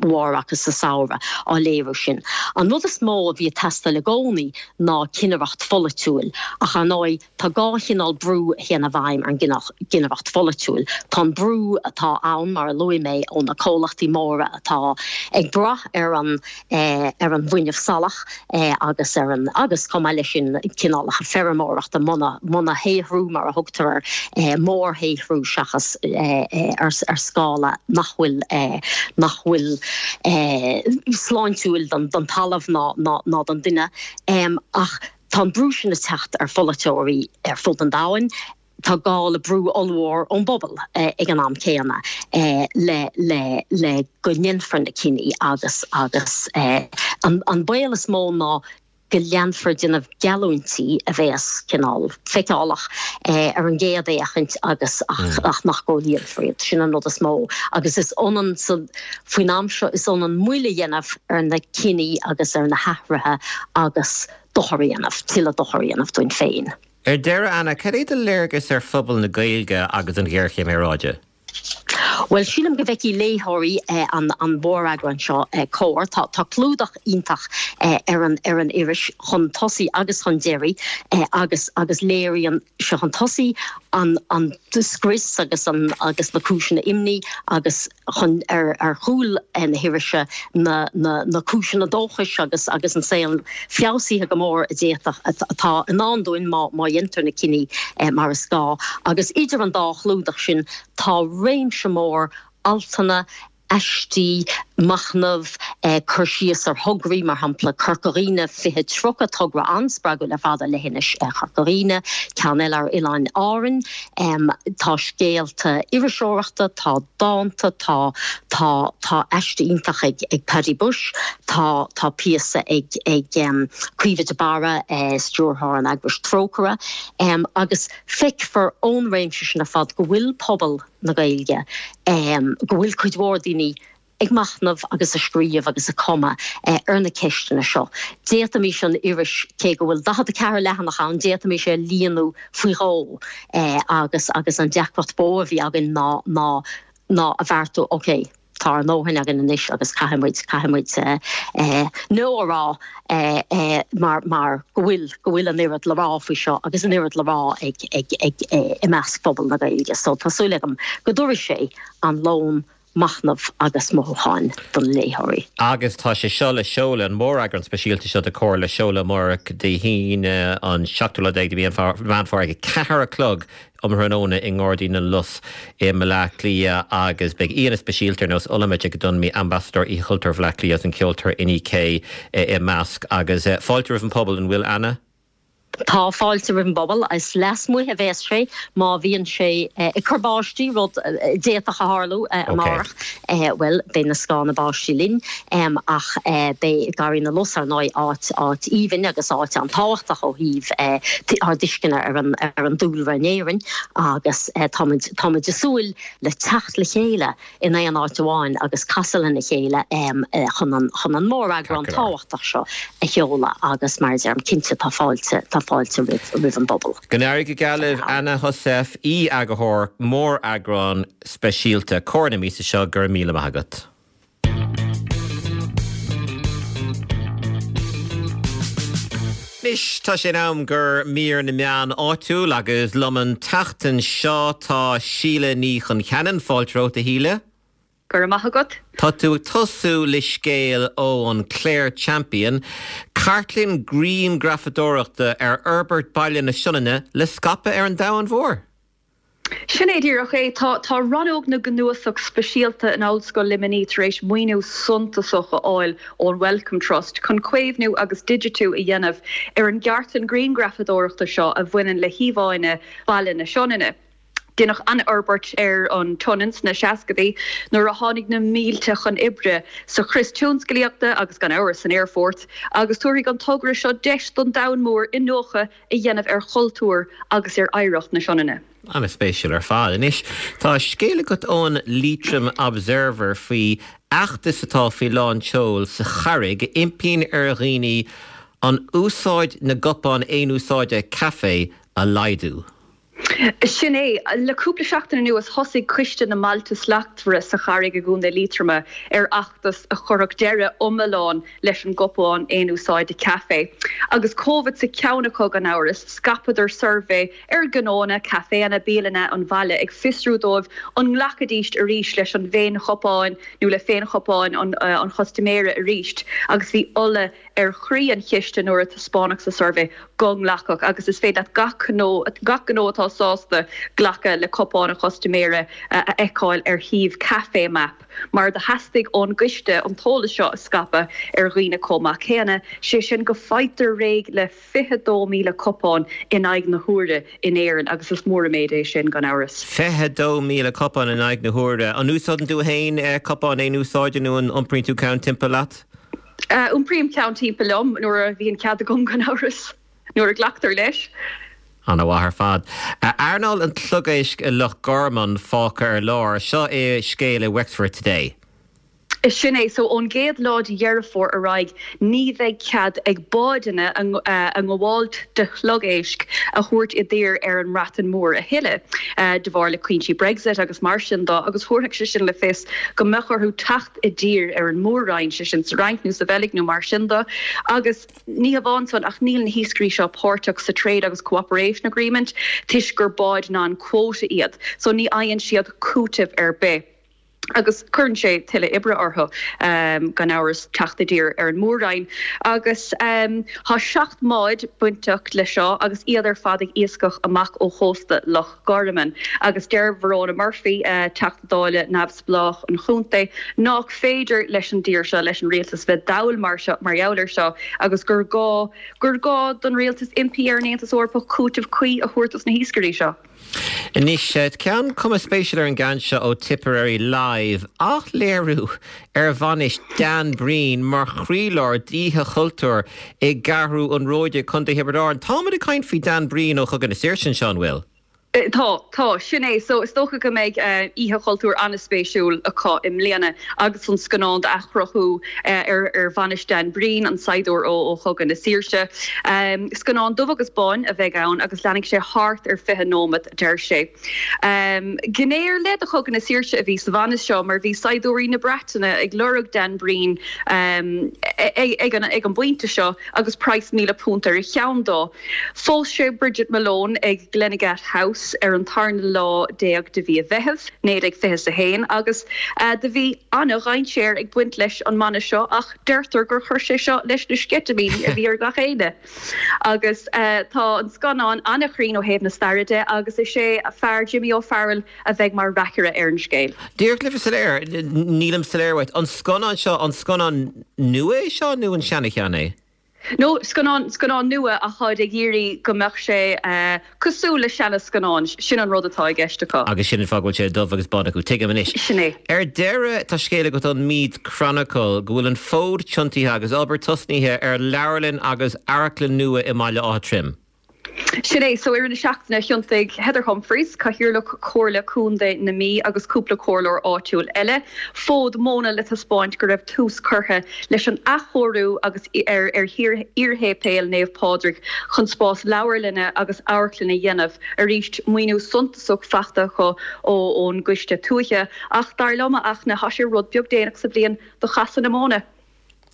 D: mhór acu sa samhradh á léiriú sin. An rud is mó a bhí ag teastáil i gcónaí ná cinnireacht pholaitiúil ach ar ndóigh, Tá dhá chineál brú a théann i bhfeidhm ar an gcinnireacht pholaitiúil. Tá an brú atá ann, mar a luaigh mé, ó na comhlachtaí móra atá ag brath ar an ar an bhfuinneamh salach agus ar an agus chomh maith leis sin cineálacha feirmeoireachta, monashaothrú mar a thugtar air, mórshaothrú seachas ar scála nach bhfuil nach bhfuil sláintiúil don talamh ná don duine. Ach Tá an brú sin ag teacht ar pholaiteoirí ar fud an domhain. Tá gá le brú ollmhór ón bpobal ag an am céanna le le le go ndéanfar na cinní agus agus an an baol is mó ná go leanfar ag déanamh geallúintí a bheas cineál feiceálach ar an gcéad fhéachaint agus ach ach nach gcomhlíonfar iad. Sin an rud is mó agus is ionann sa faoin am seo is ionann moill a dhéanamh ar na cinní agus ar na hathruithe agus dochar a dhéanamh, tuilleadh dochar a dhéanamh dúinn féin.
A: Ar deireadh, Anna, cad é do léargas ar phobal na Gaeilge agus an ghéarchéim aeráide?
D: Bhuel, sílim go bhfeicfidh léitheoirí an mhóreagráin seo Comhar. Tá tá clúdach iontach ar an ar an iris chun tosaigh agus chun deiridh agus agus léiríonn sé chun tosaigh an an scrios agus an agus na cúiseanna imní agus chun ar ar chúl na hirise na na na cúiseanna dóchais agus agus an saol feabhsaithe go mór a d'fhéadfadh atá i ndán dúinn má má dhéantar na cinní mar is gá. Agus idir an dá chlúdach sin tá réimse mór altanna, aistí, machnamh. Cur síos ar thograí, mar shampla Corca Dhuibhne 2030, togra an-spreagúil ar fad ar leithinis Chorca Dhuibhne, ceann eile ar Oileáin Árann. Tá scéalta iriseoireachta, tá dánta, tá tá tá aiste iontach ag ag Paddy Bushe, tá tá píosa ag ag Caoimhe de Barra, stiúrthóir an eagrais Trócaire, agus feicfear ón réimse sin ar fad go bhfuil pobal na Gaeilge, go bhfuil cuid mhór daoine ag machnamh agus ag scríobh agus ag cumadh ar na ceisteanna seo. D'fhéadfaimis an iris, cé go bhfuil 44 leathanach ann, d'fhéadfaimis é a líonadh faoi dhó agus agus an deacracht ba mhó a bhí againn ná ná ná a bheartú, ok, tá ár ndóthain againn anois agus caithfidh muid, caithfidh muid no a rá mar mar go bhfuil go bhfuil an oiread le rá faoi seo agus an oiread le rá ag ag ag i measc phobal na Gaeilge. So tá súil agam go dtabharfaidh sé an lón machnamh agus mothúcháin do na léitheoirí.
A: Agus tá sé seo le seoladh, an móreagrán speisialta seo de Comhar le seoladh amárach Dé hAoine an seachtú lá déag de mhí Mheán Fómhair ag 4 a chlog um thráthnóna i nGairdín na Lus i mBleá Cliath agus beidh aíonna speisialta ar nós Olamide Ogundunmi, Ambasadóir Oíche Chultúir Bhaile Átha Cliath agus an ceoltóir Inni K i measc. Agus fáilte roimh an pobal, an bhfuil Anna?
D: Tá fáilte roimh an bpobal. Is lasmuigh a bheas sé má bhíonn sé ag cur báistí, rud a d'fhéadfadh a tharlú amárach. Bhuel, beidh na scáthanna báistí linn, ach beidh Garraí na Lus, ar ndóigh, áit áit aoibhinn agus áit an-tábhachtach ó thaobh ár dtuisceana ar an ar an dúlra in Éirinn agus táimid táimid ag súil le teacht le chéile in aon áit amháin agus casadh lena chéile chun an chun an móreagrán tábhachtach seo a sheoladh agus mar a deirim, cinnte tá fáilte tá fáilte roimh roimh an bpobal.
A: Go n-éirí go geal libh, Anna Heussaff, aoi-eagarthóir móreagrán speisialta Comhar na míosa seo, go raibh míle maith agat. Anois tá sé in am do mhír na meán áitiúil agus liom an tseachtain seo tá Síle Ní Choncheanainn. Fáilte romhat a Shíle.
E: Go raibh maith agat.
A: Tá tú ag tosú le scéal ó an Clare Champion, cartlann grianghrafadóireachta ar fhorbairt Baile na Sionainne le scaipeadh ar an domhan mhór.
E: Sin é díreach é. Tá tá Rannóg na gCnuasach Speisialta in Ollscoil Luimnigh tar éis maoiniú suntasach a fháil ón Wellcome Trust chun caomhnú agus digitiú a dhéanamh ar an gcartlann grianghrafadóireachta seo a bhaineann le híomhánna Bhaile na Sionainne. Deineadh an-fhorbairt ar an tSionainn sna seascadaí nuair a tháinig na mílte chun oibre sa chrios tionsclaíochta agus gan amhras san aerfort agus tabharfaidh an togra seo deis don domhan mór iniúchadh a dhéanamh ar chultúr agus ar oidhreacht na Sionainne.
A: An-spéisiúil ar fad. Anois, tá scéal agat ón Leitrim Observer faoi fheachtas atá faoi lán tseoil sa Charraig a impíonn ar dhaoine an úsáid na gcupán aon-úsáide caife a laghdú.
E: Sin é. Le cúpla seachtain anuas thosaigh Coiste na mBailte Slachtmhara sa Charraig i gContae Liatroma ar fheachtas a chuirfeadh deireadh iomlán leis an gcupán aon-úsáide caife. Agus Covid sa cheann acu gan amhras, scaipeadar suirbhé ar ghnóanna, caiféanna, bialanna an bhaile ag fiosrú dóibh an nglacfaidís arís leis an bhféinchupán nó le féinchupáin an chustaiméara arís agus bhí ola ar chroí an chiste nuair a taispeánadh sa suirbhé go nglacfadh agus is féidir leat gach gnó gach gnó atá sásta glacadh le cupán an chustaiméara a fheiceáil ar shuíomh Café Map mar do theastaigh ón gcoiste an t-eolas seo a scaipeadh ar dhaoine chomh maith céanna, sé sin go faightear réidh le 22,000 cupán in aghaidh na huaire in Éirinn agus is mór an méid é sin gan amhras.
A: 22,000 cupán in aghaidh na huaire. An úsáideann tú féin cupán aon úsáide nó an iompraíonn tú ceann timpeall leat?
E: Iompraím ceann timpeall liom nuair a bhíonn cead agam gan amhras, nuair a ghlactar leis.
A: Ana-mhaith ar fad. Earnáil an tsliogéisc i Loch Garman fágtha ar lár. Seo é scéal i Wexford Today.
E: Sin é. So ón gcéad lá de Dheireadh Fómhair ar aghaidh ní bheidh cead ag báideanna a ngabháilt de shliogeisc a thabhairt i dtír ar an mBreatain Mhór a thuilleadh de bharr le cúinsí Brexit agus mar sin de agus thabharfadh sé sin le fios go mbeadh orthu teacht i dtír ar an Mór-Roinn, sé sin sa Fhrainc nó sa Bheilg nó mar sin de agus ní hamháin san ach níl na hiascairí seo páirteach sa Trade agus Cooperation Agreement toisc gur báid non-quota iad so ní fhaigheann siad cúiteamh ar bith. Agus cuireann sé tuilleadh oibre orthu, gan amhras, teacht i dtír ar an Mór-Roinn. Agus tá 7 mbád bainteach le seo agus iad ar fad ag iascach amach ó chósta Loch Garman. Agus deir Verona Murphy, Teachta Dála neamhspleách an chontae, nách féidir leis an dtír seo, leis an rialtas, bheith dall mar seo, mar gheall air seo agus gur gá, gur gá don rialtas impí ar an Aontas Eorpach cúiteamh cuí a thabhairt dos na hiascairí seo.
A: Anois, ceann cuma spéisiúil ar an gceann seo ó Tipperary Live, athléiriú ar bhainis Dan Breen mar chroílár d'Oíche Chultúir i gCeathrú an Róide, Contae Thiobraid Árann. Táimid ag caint faoi Dan Breen ó Chogadh na Saoirse anseo, an bhfuil?
E: Tá, tá, sin é. So, is dócha go mbeidh Oíche Chultúir an-spéisiúil acu i mbliana agus an scannán d'athchruthú ar bhainis Dan Breen, an saighdiúir ó Chogadh na Saoirse. Scannán dubh agus bán a bheidh ann agus leanfaidh sé thart ar 20 nóimeat, a deir sé. Gné ar leith de Chogadh na Saoirse a bhí sa bhainis seo mar bhí saighdiúirí na Breataine ag lorg Dan Breen ag an bpointe seo agus praghas £1,000 ar a cheann dó. Phós sé Bridget Malone ag Glenagat House ar an tarna lá déag de mhí an Mheithimh, 1921 agus do bhí an-dhainséar ag baint leis an mbainis seo ach deirtear gur chuir sé seo leis na sceitimíní a bhí ar gach éinne. Agus tá an scannán an-chruinn ó thaobh na staire de agus is é fear Jimmy O'Farrell a bheidh mar reacaire ar an scéal.
A: Díreach le bheith soiléir, nílim soiléir uait, an scannán seo, an scannán nua é seo nó an seana-cheann é?
E: No, scannán, scannán nua ach táid ag iarraidh go mbeadh sé cosúil le seana-scannáin, sin an rud atá i gceist acu.
A: Agus sin an fáth go bhfuil sé dubh agus bán acu. Tuigim anois.
E: Sin é.
A: Ar deireadh, tá scéal agat ón Meath Chronicle go bhfuil an fód tiontaithe agus obair tosnaithe ar leabharlann agus amharclann nua i mBaile Átha Troim.
E: Sin é. So, i rith na seachtaine, thiontaigh Heather Humphreys, Cathaoirleach Chomhairle Contae na Mí agus cúpla comhairleoir áitiúil eile, fód móna le taispeáint go raibh tús curtha leis an athchóiriú agus ar ar iar-shéipéal Naomh Pádraig chun spás leabharlainne agus amharclainne a dhéanamh. Arís, maoiniú suntasach faighte acu ón gCoiste Tuaithe. Ach dar liom, a Fhachtna, tá sé rud beag déanach sa bhliain do chasadh na móna.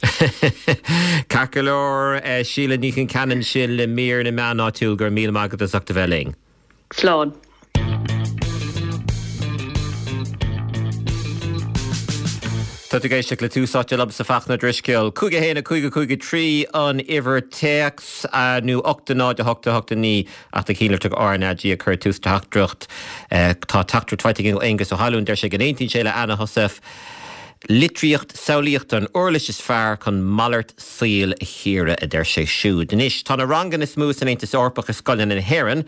A: Ceart go leor, Síle Ní Chonceanainn sin le mír na meán áitiúil, go raibh míle maith agat as ucht a bheith linn.
E: Slán.
A: Tá tú ag éisteacht le Tús Áite liomsa Fachtna Drisceoil. 5 1 5 5 3 an uimhir téacs nó 8 0 8 8 9 ach tá cinnte RnaG ag cur tús teachtaireacht. Tá teachtaireacht faighte againn ó Aengus Ó hAlmhain, deir sé go n-aontaíonn sé le Anna Heussaff. Litríocht samhlaíochta an uirlis is fearr chun malairt saoil a chíoradh, a deir sé siúd. Anois, tá na ranganna is mó san Aontas Eorpach i scoileanna na hÉireann,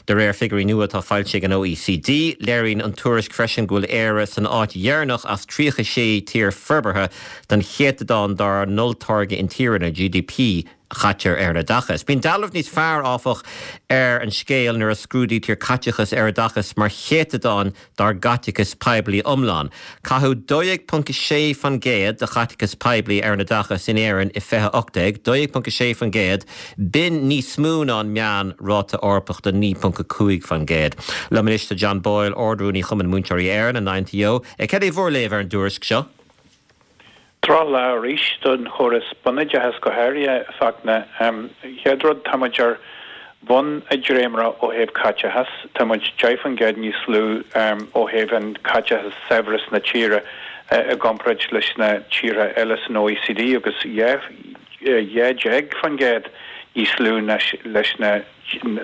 A: de réir figiúirí nua atá foilsithe ag an OECD. Léiríonn an tuairisc freisin go bhfuil Éire san áit dheireanach as 36 tír forbartha don chéatadán dár n-olltáirge intíre, nó GDP, a chaitear ar an oideachas. Bíonn dealramh níos fearr, áfach, ar an scéal nuair a scrúdaítear caiteachas ar oideachas mar chéatadán dár gcaiteachas poiblí iomlán. Caitheadh 12.6% de chaiteachas poiblí ar an oideachas in Éirinn i 2018, 12.6%, b'in níos mó ná an meán-ráta Eorpach de 9.5%. Liom anois tá John Boyle, Ard-Rúnaí Chumann Múinteoirí Éireann, an INTO. Cad é bhur léamh ar an dtuairisc seo?
F: Drochlá arís don chóras bunoideachais go háirithe, a Fhachtna. Chéad rud, tá muid ar bhun an dréimire ó thaobh caiteachas. Tá muid 10% níos lú ó thaobh an caiteachas saibhreas na tíre i gcomparáid leis na tíortha eile san OECD agus 12% níos lú leis na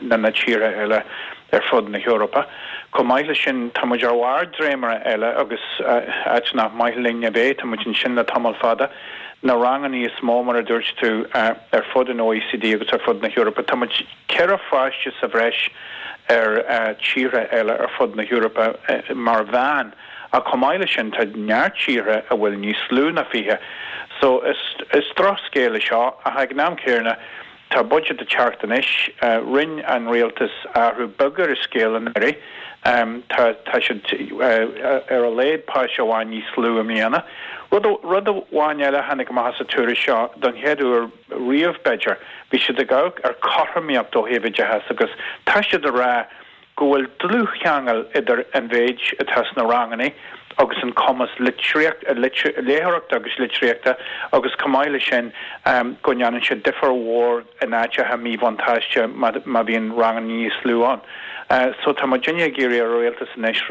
F: ná na tíortha eile ar fud na hEorpa. Chomh maith leis sin, tá muid ar bharr dréimire eile agus áit nach maith linn a bheith, tá muid ansin le tamall fada. Na ranganna is mó, mar a dúirt tú, ar fud an OECD agus ar fud na hEorpa. Tá muid 4 pháiste sa bhreis ar tíortha eile ar fud na hEorpa mar mheán. Ach chomh maith leis sin, tá neart tíortha a bhfuil níos lú ná 20. So, is drochscéal é seo, ach ag an am céanna, Tá budget ag teacht anois. Rinne an rialtas athrú beag ar an scéal anuraidh. Tá tá siad ar a laghad páiste amháin níos lú i mbliana. Rud rud amháin eile a tháinig amach as an tuairisc seo, don chéad uair riamh b'fhéidir, bhí siad ag amharc ar chothromaíocht ó thaobh oideachais agus tá siad ag rá go bhfuil dlúthcheangal idir an mhéid atá sna ranganna. agus an cumas litríocht, léitheoireachta agus litríochta agus chomh maith leis sin go ndéanann sé difear mhór in áiteacha míbhuntáiste má bhíonn ranganna níos lú ann. So tá muidinne ag iarraidh ar an rialtas anois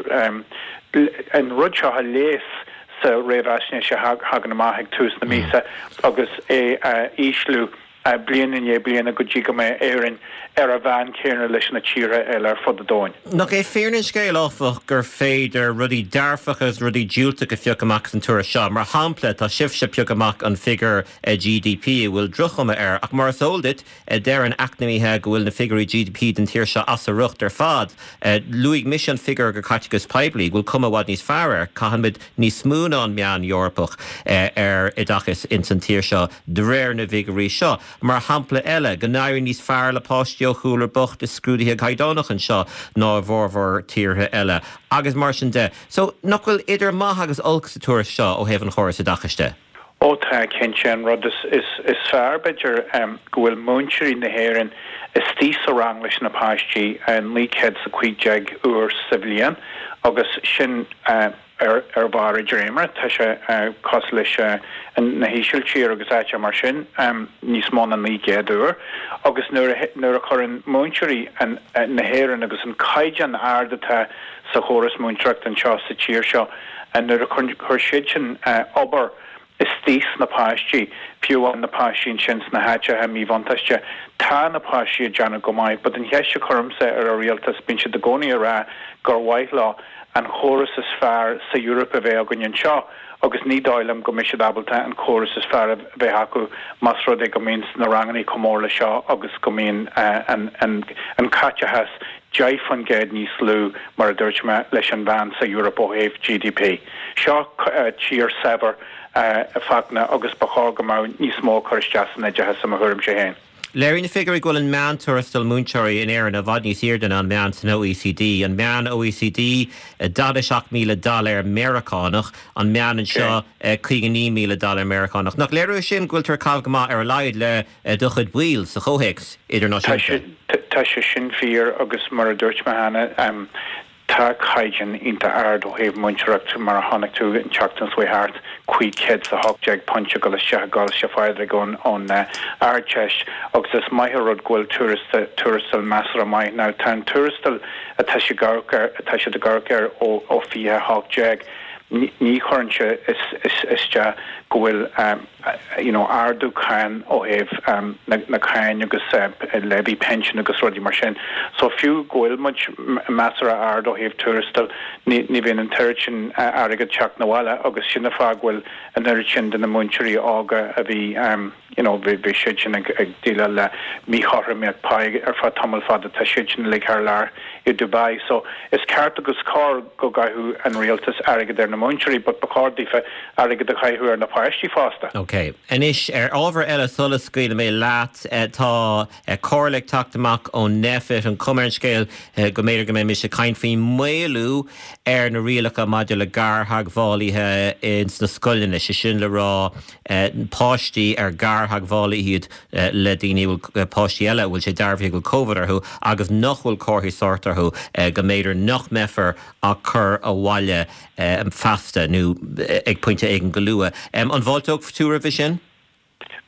F: an rud seo a leigheas sa réamhaisnéis a thagann amach ag tús na míosa agus é a ísliú bliain i ndiaidh bliana go dtí go mbeidh Éirinn ar an mheán céanna leis na tíortha eile ar fud an domhain.
A: Nach é fírinne an scéil, áfach, gur féidir rudaí dearfacha agus rudaí diúltacha a phiocadh amach as an tuairisc seo? Mar shampla, tá sibhse ag piocadh amach an figiúr GDP a bhfuil droch-chuma air, ach mar is eol duit, Deireann eacnamaithe go bhfuil na figiúirí GDP don tír seo as a riocht ar fad. Luaigh mise an figiúr go caiteachas poiblí, go bhfuil cuma i bhfad níos fearr air. Caithimid níos mó ná an meán Eorpach ar oideachas ins an tír seo de réir na bhfigiúirí seo. Mar shampla eile, go n-éiríonn níos fearr le páistí ó chúlra bocht i scrúduithe caighdeánach anseo ná i bhformhór tíortha eile, agus mar sin de. So, nach bhfuil idir maith agus olc sa tuairisc seo ó thaobh an chórais oideachais de?
F: Ó tá, cinnte. An rud is fearr, b'fhéidir, go bhfuil múinteoirí na hÉireann istigh sa rang leis na páistí 915 uair sa bhliain agus sin ar bharr a dréimire. Tá sé cosúil leis na hÍsiltír agus áiteacha mar sin, níos mó ná 900 uair. Agus nuair a chuireann múinteoirí na hÉireann agus an caighdeán ard atá sa chóras múinteoireachta anseo sa tír seo, Nuair a chuir siad sin obair istigh sna páistí, fiú amháin na páistí ansin sna háiteacha míbhuntáiste, tá na páistí ag déanamh go maith. But an cheist a chuirimse ar an rialtas, bíonn siad i gcónaí ag rá gur mhaith leo an chóras is fearr sa Eoraip a bheith againn anseo agus ní dóigh liom go mbeidh siad ábalta an córas is fearr a bheith acu más rud é go mbíonn na ranganna chomh mór le seo agus go mbíonn an caiteachas 10% níos lú, mar a dúirt mé, leis an mheán sa Eoraip ó thaobh GDP. Seo tír saibhir, a Fachtna, agus ba chóir go mbeadh níos mó ag cur isteach san oideachas, i mo thuairimse féin.
A: Léiríonn na figiúirí go bhfuil an meán-tuarastal múinteoirí in Éirinn i bhfad níos airde ná an meán san OECD. An meán OECD, 47,000 dollar Meiriceánach, an meán anseo, 59,000 dollar Meiriceánach. Nach léiriú é sin go bhfuiltear ag caitheamh go maith, ar a laghad, le do chuid baill sa chomhthéacs idirnáisiúnta.
F: Tá sé sin fíor agus mar a dúirt mé cheana, tá caighdeán iontach ard ó thaobh múinteoireacht mar a chonaic tú an tseachtain seo thart, £518 ag dul isteach i gColáiste Phádraig ón Ardteist agus is maith an rud go bhfuil tuarastal measartha maith. Now tá an tuarastal atá siad ag amharc air, atá siad ag amharc air ó 2018, ní chuireann sé isteach go bhfuil you know ardú cáin ó thaobh na cáin agus levy pension agus rudaí mar sin. So fiú go bhfuil muid measartha ard ó thaobh tuarastail, ní ní bhíonn an t-oiread sin airgead teacht 'na bhaile agus sin an fáth go bhfuil an oiread sin de na múinteoirí óga a bhí you know bhí bhí siad sin ag ag déileáil le míchothromaíocht pá ar feadh tamall fada, tá siad sin uilig thar lear i Dubai. So is ceart agus cóir go gcaitheadh an rialtas airgead ar na múinteoirí but ba chóir daofa airgead a chaitheamh ar na páistí fosta.
A: Ok. Anois, ar ábhar eile sula scaoilfidh mé leat, tá comhairle ag teacht amach ón Nphet, an chuma ar an scéal go mb'fhéidir go mbeimis ag caint faoi mhaolú ar na rialacha maidir le gartheagmhálaithe ins na scoileanna, sé sin le rá páistí ar gartheagmhálaithe iad le daoine a bhfuil, páistí eile a bhfuil sé dearbhaithe go bhfuil Covid orthu agus nach bhfuil comharthaí sóirt orthu, go mb'fhéidir nach mbeifear á gcur abhaile feasta nó ag pointe éigin go luath. An bhfáilteodh tú roimhe sin?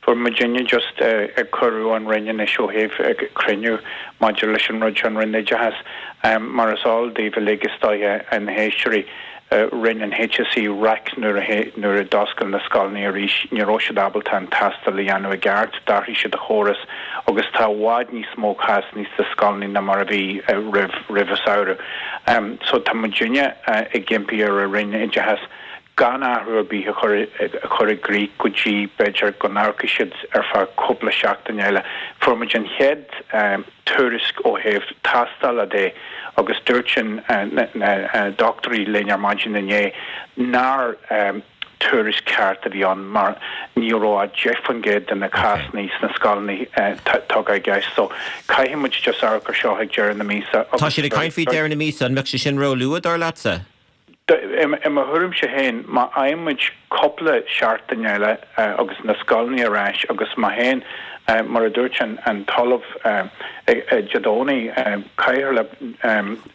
F: Fuair muidinne just cuireadh ón Roinn anois ó thaobh cruinniú maidir leis an rud seo, an Roinn Oideachais. Mar is eol daoibh uilig is dóiche, na héisteoirí, rinne an HSE raic nuair a nuair a d'oscail na scoileanna arís. Ní raibh siad ábalta an tástáil a dhéanamh i gceart, d'athraigh siad a chóras agus tá i bhfad níos mó cásanna sna scoileanna ná mar a bhí roimh roimh an samhradh. So tá muidinne ag impí ar an Roinn Oideachais gan athrú ar bith a chur a chur i gcrích go dtí b'fhéidir go n-amharcfaidh siad ar feadh cúpla seachtain eile. Fuair muid an chéad tuairisc ó thaobh tástála de agus dúirt sin na dochtúirí linn ar maidin inné nár tuairisc ceart a bhí ann mar ní raibh ach 10% de na cásanna sna scoileanna tugtha i gceist. So caithfidh muid just amharc ar seo ag deireadh na míosa
A: Tá siad ag caint faoi deireadh na míosa, an mbeadh sé sin róluath dar leatsa?
F: I mo thuairimse féin, má fhaigheann muid cúpla seachtain eile agus na scoileanna ar ais agus má théann, mar a dúirt an tOllamh Dé Domhnaigh, Cathaoirleach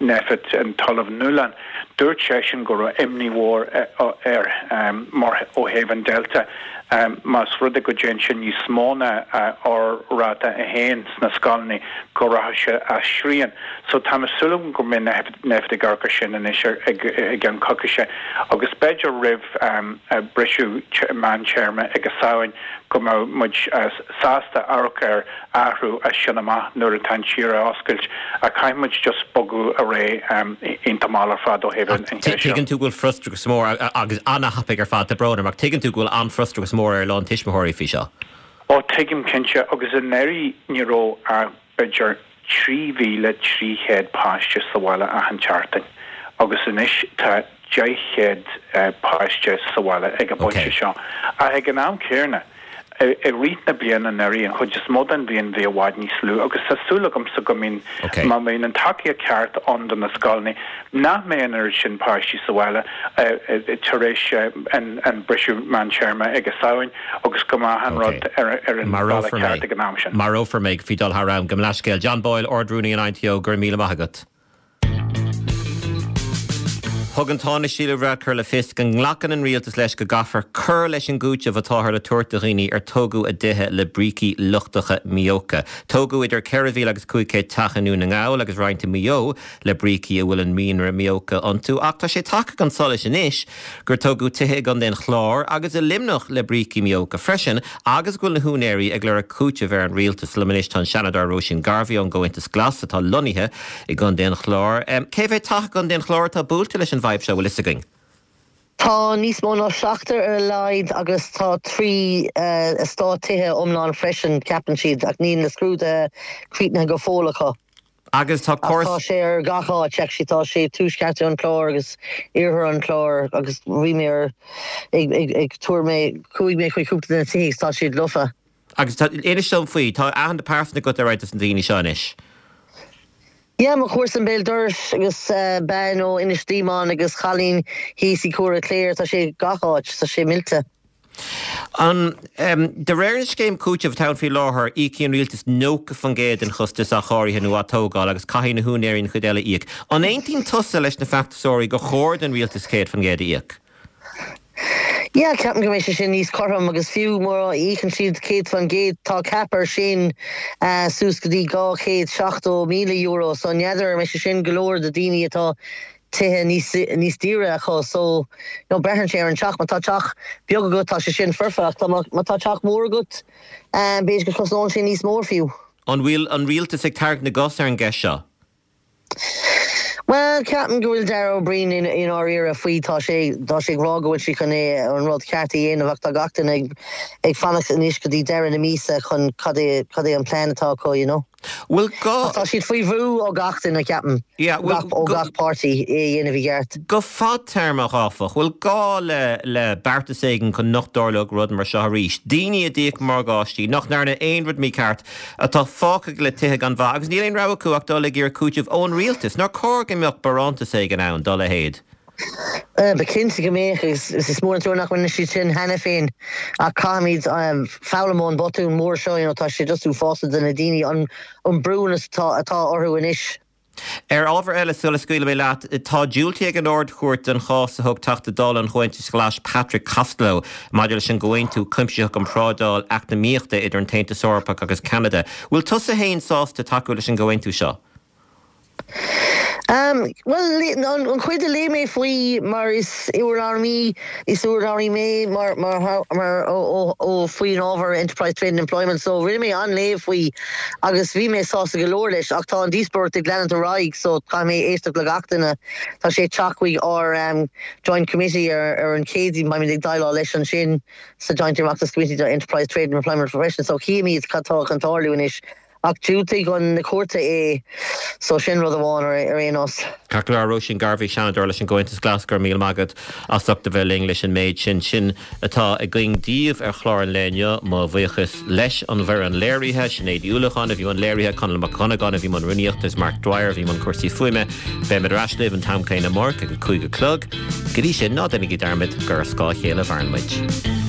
F: Nphet, an tOllamh Nuallán, dúirt seisean go raibh imní mhór air mar ó thaobh an Delta, más rud é go dtéann sé níos mó ná R-ráta 1 sna scoileanna, go rachaidh sé as srian. So tá mé súil agam go mbeidh Nphet ag amharc ar sin anois i gceann coicíse agus b'fhéidir roimh briseadh meántéarma ag an Samhain go mbeidh muid sásta amharc ar athrú as sin amach nuair atá an tír á oscailt ach caithfidh muid just bogadh ar aghaidh iontach mall ar fad ó thaobh an cheist seo.
A: Tuigeann tú go bhfuil frustrachas mór agus an-thapaidh ar fad, tá brón orm ach tuigeann tú go bhfuil an-fhrustrachas mór ar a lán tuismitheoirí faoi seo.
F: Ó tuigim cinnte agus anuraidh ní raibh ach b'fhéidir 3,300 páiste sa bhaile achan tseachtain agus anois tá 10 páiste sa bhaile ag an bpointe seo. Ach ag an am céanna, i rith na bliana anuraidh, an chuid is mó den bhliain bhí i bhfad níos lú agus tá súil agamsa go mbíonn, má bhíonn an tacaíocht ceart ann do na scoileanna, nach mbeidh an oiread sin páistí sa bhaile tar éis an briseadh meántéarma ag an Samhain. agus go mbeadh an rud ar an bhealach ceart ag an am sin.
A: Marófar mé faoi dul thar am. Gabh mo leithscéal. John Boyle, Ard-Rúnaí an INTO, go raibh míle maith agat. Thug an Tánaiste Leo Varadkar le fios go nglacann an rialtas leis go gcaithfear cur leis an gcúiteamh atáthar le tabhairt do dhaoine ar tógadh a dtithe le brící lochtacha míóca. Tógadh idir 4,000 agus 500 teach i nDún na nGall agus roinnt i Maigh Eo le brící a bhfuil an mianra míóca iontu ach tá sé tagtha chun solais anois gur tógadh tithe i gContae an Chláir agus i Luimneach le brící míóca freisin agus go bhfuil na húinéirí ag lorg cúitimh ar an rialtas. Liom anois tá an Seanadóir Róisín Garvey ón gComhaontas Glas atá lonnaithe i gContae an Chláir. Cé mhéad teach i gContae an Chláir atá buailte leis an bhfadhb seo, bhfuil fhios againn?
G: Tá níos mó ná seachtar ar a laghad agus tá 3 eastát tithe iomlán freisin, ceapann siad, ach níl na scrúduithe críochnaithe go fóill acu.
A: Agus tá
G: Ach tá sé ar gach áit, actually tá sé tuaisceart an Chláir agus iarthar an Chláir agus bhí mé ar ag ag ag tuar mé chuaigh mé chuig cúpla de na tithe agus tá siad lofa.
A: Agus tá, inis dom faoi, tá aithne pearsanta agat ar roinnt des na daoine seo anois?
G: Yeah, mo chomharsan béal dorais agus bean ó Inis Díomáin agus cailín thíos i Cuara Chléire, tá sé gach áit, tá sé millte.
A: An, De réir na scéim cúitimh atá ann faoi láthair, íocfaidh an rialtas 90% den chostas athchóirithe nó atógála agus caithfidh na húinéirí an chuid eile a íoc. An aontaíonn tusa leis na feachtasóirí gur chóir don rialtas 100% a íoc?
G: Yeah, ceapaim go mbeidh sé sin níos cothrom agus fiú mura íocann siad 100% tá cap air sin suas go dtí €270,000 so n'fheadar an mbeidh sé sin go leor do daoine atá tithe níos níos daoire acu so you know braitheann sé ar an teach. Má tá teach beag agat tá sé sin foirfe ach tá má tá teach mór agat b'fhéidir go cosnóidh sé níos mór fiú.
A: An bhfuil an rialtas ag tarraingt na gcos ar an gceist seo?
G: Bhuel ceapaim go bhfuil Darragh O'Brien i i ndáiríre faoi tá sé tá sé ag rá go bhfuil sé chun é an rud ceart a dhéanamh ach tá gach duine ag ag fanacht anois go dtí deireadh na míosa chun cad é cad é an plean atá acu you know.
A: Bhfuil gá.
G: Ach tá siad faoi bhrú ó gach duine, ceapaim, ó gach páirtí, é a dhéanamh i gceart.
A: Go fadtéarmach, áfach, bhfuil gá le le beartas éigin chun nach dtarlódh rud mar seo arís? Daoine a d'íoc morgáistí, nach ndearna aon rud mícheart, atá fágtha le tithe gan mhaith agus níl aon rogha acu ach dul ag iarraidh cúitimh ón rialtas. Nár chóir go mbeadh barántas éigin ann dá leithéid?
G: Ba chinnte go mbeadh agus is mór an trua nach rinne siad sin cheana féin ach caithfimid foghlaim ón botún mór seo, you know, tá sé just uafásach do na daoine an an brú atá atá orthu anois.
A: Ar ábhar eile, sula scaoilfidh mé leat, tá diúltaithe ag an Ard-Chúirt don chás a thug Teachta Dála an Chomhaontais Ghlais Patrick Costello maidir leis an gComhaontú Cuimsitheach um Thrádáil Eacnamaíochta idir an tAontas Eorpach agus Ceanada. Bhfuil tusa féin sásta tacú leis an gcomhaontú seo?
G: Bhuel, an chuid a léigh mé faoi, mar is urlabhraí, is urlabhraí mé mar, mar, mar, ó, ó, faoin ábhar Enterprise Trade and Employment, so rinne mé an-léamh faoi agus bhí mé sásta go leor leis ach tá an díospóireacht ag leanúint ar aghaidh so caithfidh mé éisteacht le gach duine. Tá sé ag teacht chuig ár Joint Committee ar, ar an Chéadaoin, beimid ag déileáil leis ansin sa Joint Oireachtas Committee do Enterprise Trade and Employment freisin so chífimid cad tá chun tarlú anois. Ach dhiúltaigh an na cúirte é so sin rud amháin ar aon nós.
A: Ceart go leor, Róisín Garvey, Seanadóir leis an gComhaontas Glas, go raibh míle maith agat as ucht a bheith linn leis an méid sin. Sin atá againn daoibh ar chlár an lae inniu. Mo bhuíochas leis an bhfoireann léirithe, Sinéad Uí Uallacháin a bhí i mbun léirithe, Conall Mac Dhonnagáin a bhí i mbun rúnaíochta is Mark Dwyer a bhí i mbun cúrsaí fuaime. Beimid ar ais libh an t-am céanna amárach ag a 5 a chlog. Go dtí sin, ná déanaigí dearmad gur ar scáth a chéile a mhaireann muid.